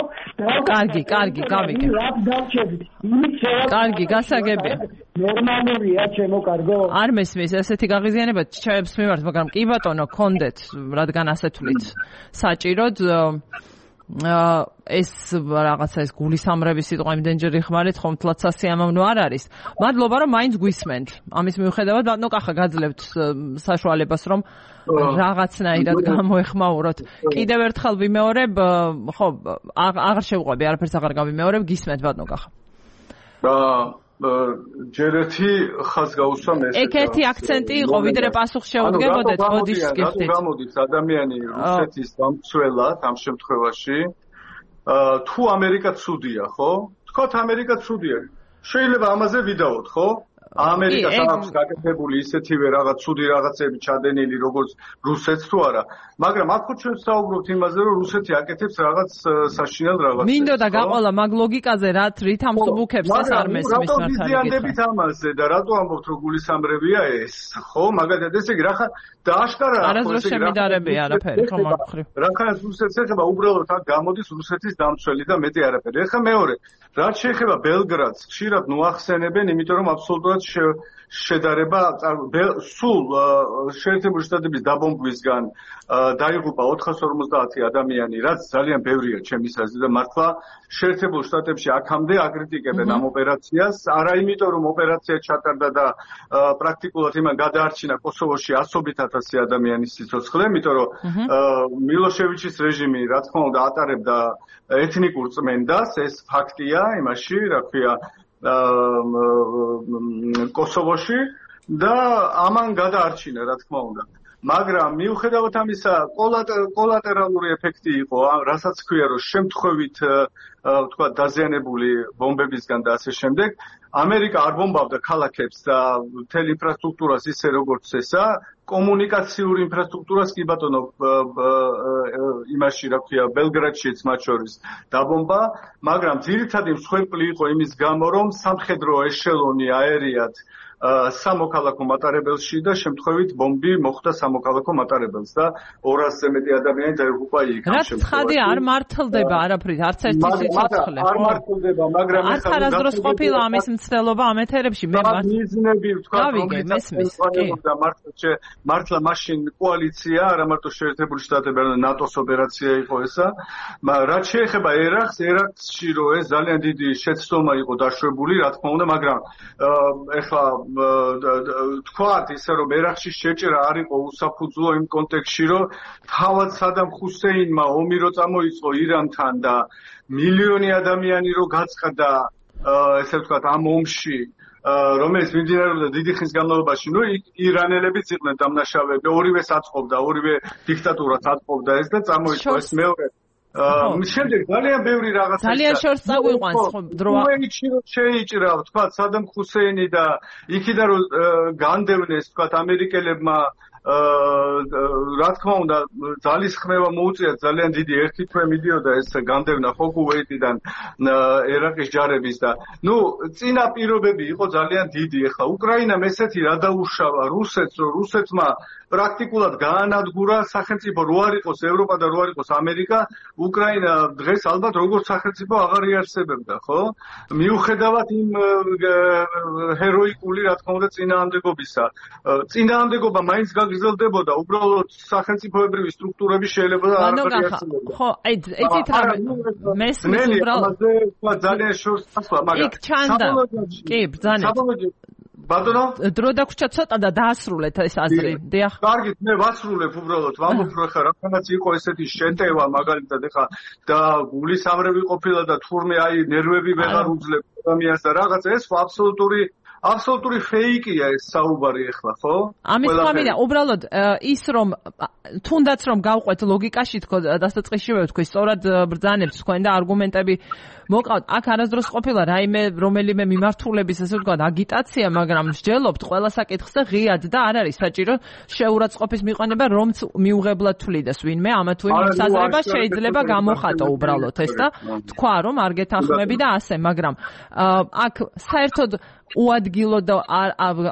კარგი კარგი გავიგე რაც დავჭერთ იმით შევა კარგი გასაგებია ნორმალურია ჩემო კარგო არ მესმის ესეთი გაღიზიანება ჩაებს მიმართ მაგრამ კი ბატონო კონდეთ რადგან ასე თulit საჭიროდ ეს რაღაცა ეს გულისამრების სიტყვა იმდენჯერ იხმარეთ ხომ თლაც სასიამოვნო არ არის მადლობა რომ მაინც გვისმენთ ამის მიუხედავად ბატონო კახა გაძლევთ საშუალებას რომ რაღაცნაირად გამოეხმაუროთ კიდევ ერთხელ ვიმეორებ ხო აღარ შევყვები არაფერს აღარ გავიმეორებ გისმენთ ბატონო კახა ჯერ ერთი ხაზ გაუსვამ ეს ეგ ერთი აქცენტი იყო ვიდრე პასუხს შეუდგებოდეთ ბოდიშ გიხდით გამოდის ადამიანი რუსეთის დამცველად ამ შემთხვევაში თუ ამერიკა ცუდია ხო თქვათ ამერიკა ცუდია შეიძლება ამაზე ვიდაოთ ხო ამერიკას აქვს გაკეთებული ისეთივე რაღაც ცუდი რაღაცები ჩადენილი როგორც რუსეთს თუ არა მაგრამ აქ ჩვენ საუბრობთ იმაზე რომ რუსეთი აკეთებს რაღაც საშინელ რაღაცებს მინდოდა გაყოლა მაგ ლოგიკაზე რაც რით ამსუბუქებს ეს არ მესმის მართალია ამაზე და რატო ამბობთ რომ გულისამრევია ეს ხო მაგალითად ესე იგი რახან და აშკარა არასდროს შემიდარებია არაფერი ხო მაგხრი რახან რუსეთს ეხება უბრალოდ აქ გამოდის რუსეთის დამცველი და მეტი არაფერი ეხა მეორე რაც შეეხება ბელგრადს ხშირად ნუახსენებენ იმიტომ რომ აბსოლუტურად შედარება სულ შეერთებული შტატების დაბომბვისგან დაიღუპა ოთხას ორმოცდაათი ადამიანი რაც ძალიან ბევრია ჩემის აზრით და მართლა შეერთებულ შტატებში აქამდე აკრიტიკებენ ამ ოპერაციას არა იმიტომ რომ ოპერაცია ჩატარდა და პრაქტიკულად იმან გადაარჩინა კოსოვოში ასობით ათასი ადამიანის სიცოცხლე იმიტომ რომ მილოშევიჩის რეჟიმი რა თქმა უნდა ატარებდა ეთნიკურ წმენდას ეს ფაქტია იმაში რა ქვია კოსოვოში და ამან გადაარჩინა რა თქმა უნდა მაგრამ მიუხედავად ამისა კოლატერალური ეფექტი იყო რასაც ქვია რომ შემთხვევით თქვა დაზიანებული ბომბებისგან და ასე შემდეგ ამერიკა არ ბომბავდა ქალაქებს და მთელ ინფრასტრუქტურას ისე როგორც ესა კომუნიკაციურ ინფრასტრუქტურას კი ბატონო იმაში რა ქვია ბელგრადშიც მათ შორის დაბომბა მაგრამ ძირითადი მსხვერპლი იყო იმის გამო რომ სამხედრო ეშელონი აერიად სამოქალაქო მატარებელში და შემთხვევით ბომბი მოხვდა სამოქალაქო მატარებელს და ორასზე მეტი ადამიანი დაიღუპა იქ ამ შემთხვევაში. რაც ხადი არ მართლდება არაფრით, არც ერთი ცოცხლე, არ მართლდება, მაგრამ ახლა არასდროს ყოფილა ამის მცდელობა ამ ეთერებში, მე მართლა მიზნები ვთქვა, რომლითაც მართლა მართლა მაშინ კოალიცია, არა მარტო შეერთებული შტატები, არამედ ნატოს ოპერაცია იყო ესა. რაც შეეხება ერაყს, ერაყში რო ეს ძალიან დიდი შეცდომა იყო დაშვებული, რა თქმა უნდა, მაგრამ ეხლა თქვათ ისე რომ ერაყში შეჭრა არ იყო უსაფუძვლო იმ კონტექსტში, რომ თავად სადამ ხუსეინმა ომი რო წამოიწყო ირანთან და მილიონი ადამიანი რო გაწყდა ესე ვთქვათ ამ ომში რომელიც მიმდინარეობდა დიდი ხნის განმავლობაში, ნუ ირანელებიც იყვნენ დამნაშავეები, ორივეს აწყობდა, ორივე დიქტატურას აწყობდა ეს და წამოიწყო ეს მეორე შემდეგ ძალიან ბევრი რაღაცა ძალიან შორს წაგვიყვანს დრო უეიჩი რო შეიჭრა თქვა სადამ ხუსეინი და იქიდან რო განდევნეს თქვა ამერიკელებმა რა თქმა უნდა ძალისხმევა მოუწიათ ძალიან დიდი ერთი თვე მიდიოდა ეს განდევნა ხო კუვეიტიდან ერაყის ჯარების და ნუ წინა პირობები იყო ძალიან დიდი. ეხლა უკრაინამ ესეთი რა დაუშავა რუსეთს რომ რუსეთმა პრაქტიკულად გაანადგურა სახელმწიფო რო არ იყოს ევროპა და რო არ იყოს ამერიკა უკრაინა დღეს ალბათ როგორც სახელმწიფო აღარ იარსებებდა ხო მიუხედავად იმ ჰეროიკული რა თქმა უნდა წინააღმდეგობისა წინააღმდეგობა მაინც გაგრძელდებოდა უბრალოდ სახელმწიფოებრივი სტრუქტურები შეიძლება და არ იარსებებდა ხო აი იცით რა მესმის უბრალოდ ძალიან შორს ასვლა მაგრამ იქ ჩანდა კი ბრძანეთ ბატონო დრო დაგვრჩა ცოტა და დაასრულეთ ეს აზრი დიახ კარგით მე ვასრულებ უბრალოდ ვამბობ რომ ხა რაღაცა იყო ესეთი შეტევა მაგალითად ეხა და გულის ამრევი ყოფილა და თურმე აი ნერვები ვეღარ უძლებს ამიას და რაღაცა ეს აბსოლუტური აბსოლუტური ფეიკია ეს საუბარი ეხლა ხო? ამის თქმიდა უბრალოდ ის რომ თუნდაც რომ გავყვეთ ლოგიკაში თქო დასაწყისშივე ვთქვი სწორად ბრძანებს თქვენ და არგუმენტები მოკავთ აქ არასდროს ყოფილა რაიმე რომელიმე მიმართულების ესე ვთქვათ აგიტაცია მაგრამ მსჯელობთ ყველა საკითხს და ღიად და არ არის საჭირო შეურაცხყოფის მიყანება რომც მიუღებლად თვლიდეს ვინმე ამა თუ იმ საზრება შეიძლება გამოხატო უბრალოდ ეს და თქვა რომ არ გეთანხმები და ასე მაგრამ აქ საერთოდ უადგილო და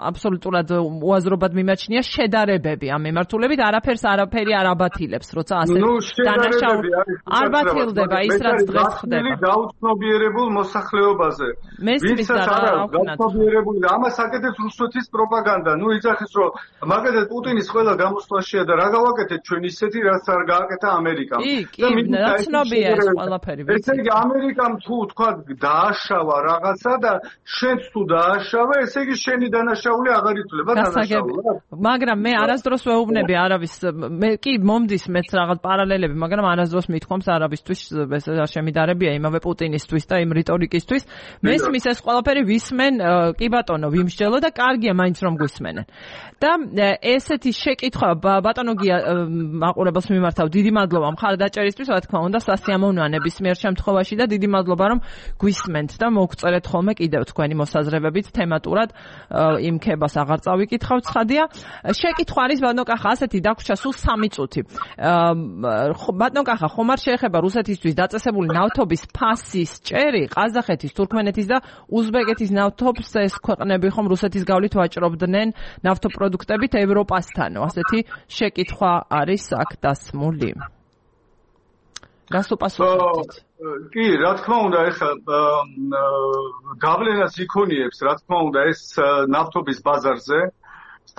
აბსოლუტურად უაზრობად მიმაჩნია შედარებები ამ მიმართულებით არაფერს არაფერი არ აბათილებს როცა ასე დანაშაული არ ბათილდება ის რაც დღეს ხდება გაუცნობიერებულ მოსახლეობაზე მესმის და რა გაუცნობიერებული და ამას აკეთებს რუსეთის პროპაგანდა ნუ იძახის რომ მაგალითად პუტინის ყველა გამოსვლაშია და რა გავაკეთეთ ჩვენ ისეთი რაც არ გააკეთა ამერიკამ და მინდა ცნობია ეს ყველაფერი ესე იგი ამერიკამ თუ თქვა დააშავა რაღაცა და შენც თუ დააშავა ესე იგი შენი დანაშაული აღარ ითვლება დანაშაულად მაგრამ მე არასდროს ვეუბნები არავის მე კი მომდის მეც რაღაც პარალელები მაგრამ არასდროს მithkoms არავისთვის ეს არ შემიდარებია იმავე პუტინისთვის და იმ რიტორიკისთვის მესმის ეს ყველაფერი ვისმენ კი ბატონო ვიმსჯელო და კარგია მაინც რომ გვისმენენ და ესეთი შეკითხვა ბატონო გია მაყურებელს მიმართავ დიდი მადლობა მხარდაჭერისთვის რა თქმა უნდა სასიამოვნოა ნებისმიერ შემთხვევაში და დიდი მადლობა რომ გვისმენთ და მოგწერეთ ხოლმე კიდევ თქვენი მოსაზრებებით თემატურად იმ ქებას აღარ წავიკითხავ ცხადია შეკითხვა არის ბატონო კახა ასეთი დაგვრჩა სულ სამი წუთი ბატონო კახა ხომ არ შეეხება რუსეთისთვის დაწესებული ნავთობის ფასის ჭერი ყაზახეთის თურქმენეთის და უზბეკეთის ნავთობს ეს ქვეყნები ხომ რუსეთის გავლით ვაჭრობდნენ ნავთობპროდუქტებით ევროპასთანო ასეთი შეკითხვა არის აქ დასმული გასუპასუხეთ კი რა თქმა უნდა ეხლა გავლენას იქონიებს რა თქმა უნდა ეს ნავთობის ბაზარზე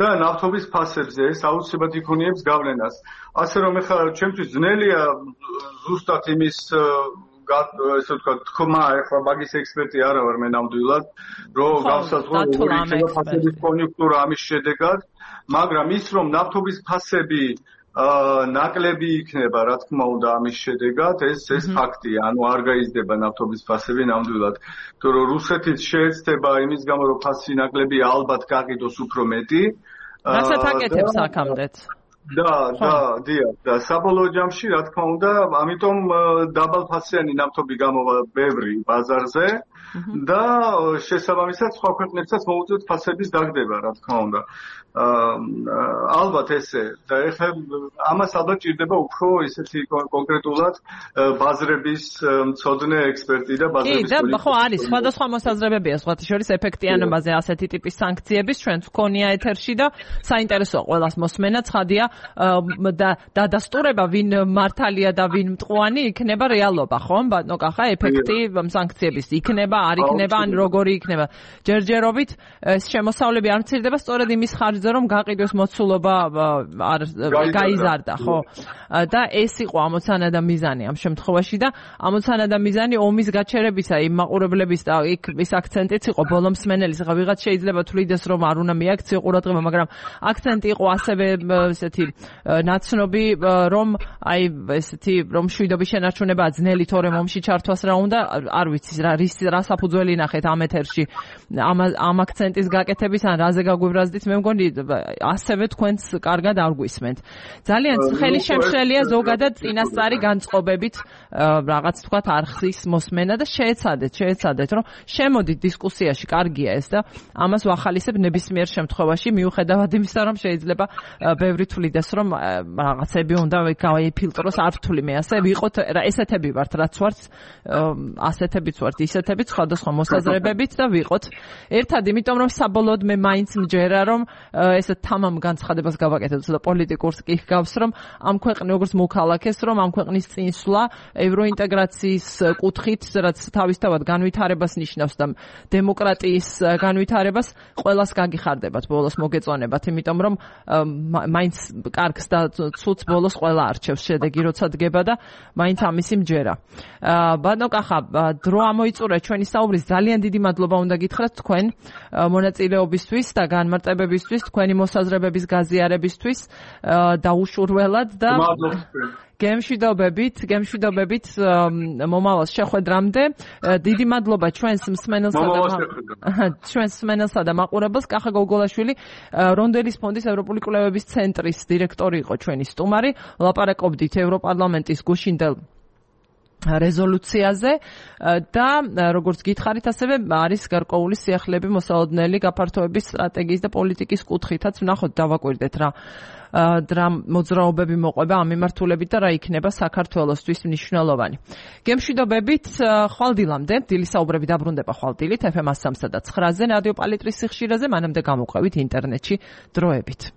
და ნავთობის ფასებზე ეს აუცილებლად იქონიებს გავლენას ასე რომ ეხლა ჩემთვის ძნელია ზუსტად იმის ესე ვთქვათ თქმა ეხლა მაგის ექსპერტი არა ვარ მე ნამდვილად რომ გავსაზღვრო როგორი იქნება ფასების კონიუნქტურა ამის შედეგად მაგრამ ის რომ ნავთობის ფასები ნაკლები იქნება რა თქმა უნდა ამის შედეგად ეს ეს ფაქტია ანუ არ გაიზრდება ნავთობის ფასები ნამდვილად თუ რომ რუსეთიც შეეცდება იმის გამო რომ ფასი ნაკლები ალბათ გაყიდოს უფრო მეტი რასაც აკეთებს აქამდეც და და დიახ და საბოლოო ჯამში რა თქმა უნდა ამიტომ დაბალფასიანი ნავთობი გამოვა ბევრი ბაზარზე და შესაბამისად სხვა ქვეყნებსაც მოუწევთ ფასების დაგდება რა თქმა უნდა ალბათ ესე და ეხლა ამას ალბათ ჭირდება უფრო ისეთი კონკრეტულად ბაზრების მცოდნე ექსპერტი და ბაზრების კი და ხო არის სხვადასხვა მოსაზრებებია სხვათა შორის ეფექტიანობაზე ასეთი ტიპის სანქციების ჩვენც გქონია ეთერში და საინტერესოა ყველას მოსმენა ცხადია და დადასტურება ვინ მართალია და ვინ მტყუანი იქნება რეალობა, ხომ? ბატონო კახა, ეფექტი სანქციების იქნება, არ იქნება, ან როგორი იქნება. ჯერჯერობით ეს შემოსავლები არ მცირდება სწორედ იმის ხარჯზე, რომ გაყიდვის მოცულობა არ გაიზარდა, ხო? და ეს იყო ამოცანა და მიზანი ამ შემთხვევაში და ამოცანა და მიზანი ომის გაჩერებისა, იმ მაყურებლების და იქ ის აქცენტიც იყო ბოლო მსმენელის, ხა ვიღაც შეიძლება თვლიდეს რომ არ უნდა მიაქციო ყურადღება, მაგრამ აქცენტი იყო ასევე ესეთი ნაცნობი, რომ აი ესეთი რომ შვიდობის შენარჩუნება ძნელი თორემ ომში ჩართვას რა უნდა, არ ვიცი რა რის რა საფუძველი ნახეთ ამ ეთერში ამ ამ აქცენტის გაკეთების ან რაზე გაგვიბრაზდით, მე მგონი ასევე თქვენც კარგად არ გვისმენთ. ძალიან ხელი შემშლელია ზოგადად წინასწარი განწყობებით რაღაც თქვათ არხის მოსმენა და შეეცადეთ, შეეცადეთ რომ შემოდით დისკუსიაში, კარგია ეს და ამას ვახალისებ ნებისმიერ შემთხვევაში, მიუხედავად იმისა, რომ შეიძლება ბევრი თვლიდეს, რომ რაღაცები უნდა გაიფილტროს, არ ვთვლი მე ასე, ვიყოთ ესეთები ვართ, რაც ვართ, ასეთებიც ვართ, ისეთებიც, სხვადასხვა მოსაზრებებით და ვიყოთ ერთად, იმიტომ რომ საბოლოოდ მე მაინც მჯერა, რომ ესე თამამ განცხადებას გავაკეთებ, ცოტა პოლიტიკურს კი ჰგავს, რომ ამ ქვეყნის როგორც მოქალაქეს, რომ ამ ქვეყნის წინსვლა ევროინტეგრაციის კუთხით, რაც თავისთავად განვითარებას ნიშნავს და დემოკრატიის განვითარებას ყველას გაგიხარდებათ, ბოლოს მოგეწონებათ, იმიტომ რომ მაინც კარგს და ცუდს ბოლოს ყველა არჩევს შედეგი, როცა დგება და მაინც ამისი მჯერა. ბატონო კახა, დრო ამოიწურა ჩვენი საუბრის, ძალიან დიდი მადლობა უნდა გითხრათ თქვენ მონაწილეობისთვის და განმარტებებისთვის, თქვენი მოსაზრებების გაზიარებისთვის და უშურველად და გემშვიდობებით, გემშვიდობებით მომავალ შეხვედრამდე. დიდი მადლობა ჩვენს მსმენელსა და ჩვენს მსმენელსა და მაყურებელს. კახა გოგოლაშვილი, რონდელის ფონდის ევროპული კვლევების ცენტრის დირექტორი იყო ჩვენი სტუმარი. ლაპარაკობდით ევროპარლამენტის გუშინდელ რეზოლუციაზე და როგორც გითხარით, ასევე არის გარკვეული სიახლეები მოსალოდნელი გაფართოების სტრატეგიის და პოლიტიკის კუთხითაც. ვნახოთ, დავაკვირდეთ რა რა მოძრაობები მოყვება ამ მიმართულებით და რა იქნება საქართველოსთვის მნიშვნელოვანი. გემშვიდობებით, ხვალდილამდე, დილის საუბრები დაბრუნდება ხვალდილით ეფ ემ სამსა და ცხრაზე რადიო პალიტრის სიხშირეზე, მანამდე გამოყვებით ინტერნეტში დროებით.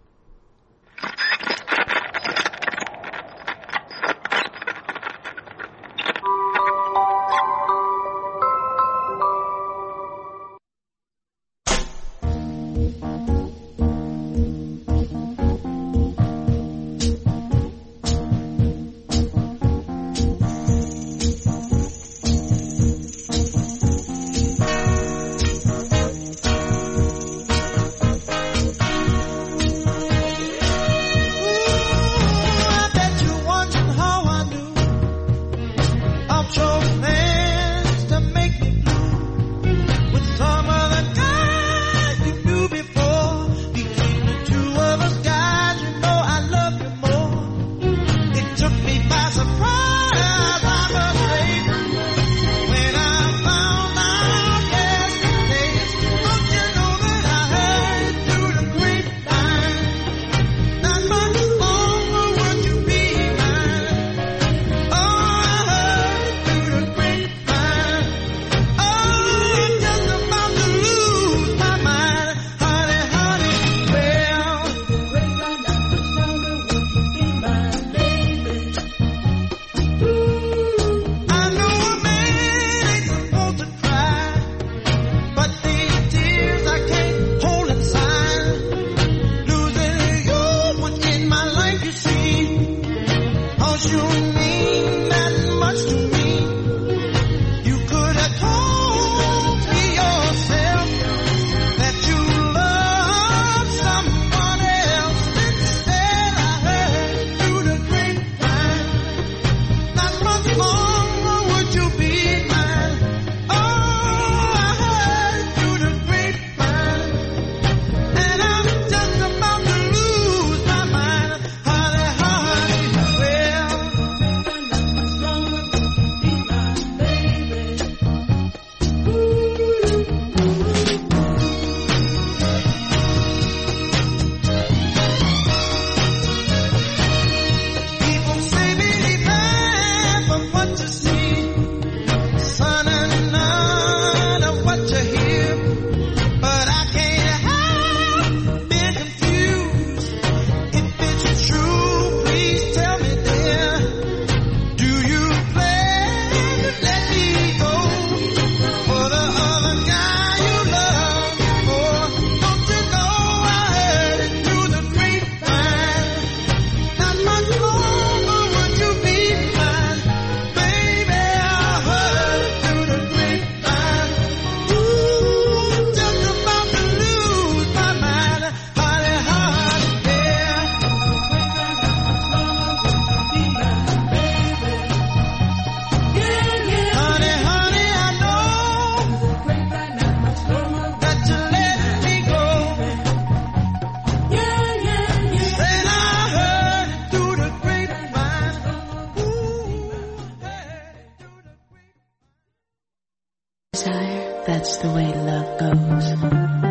just the way love goes.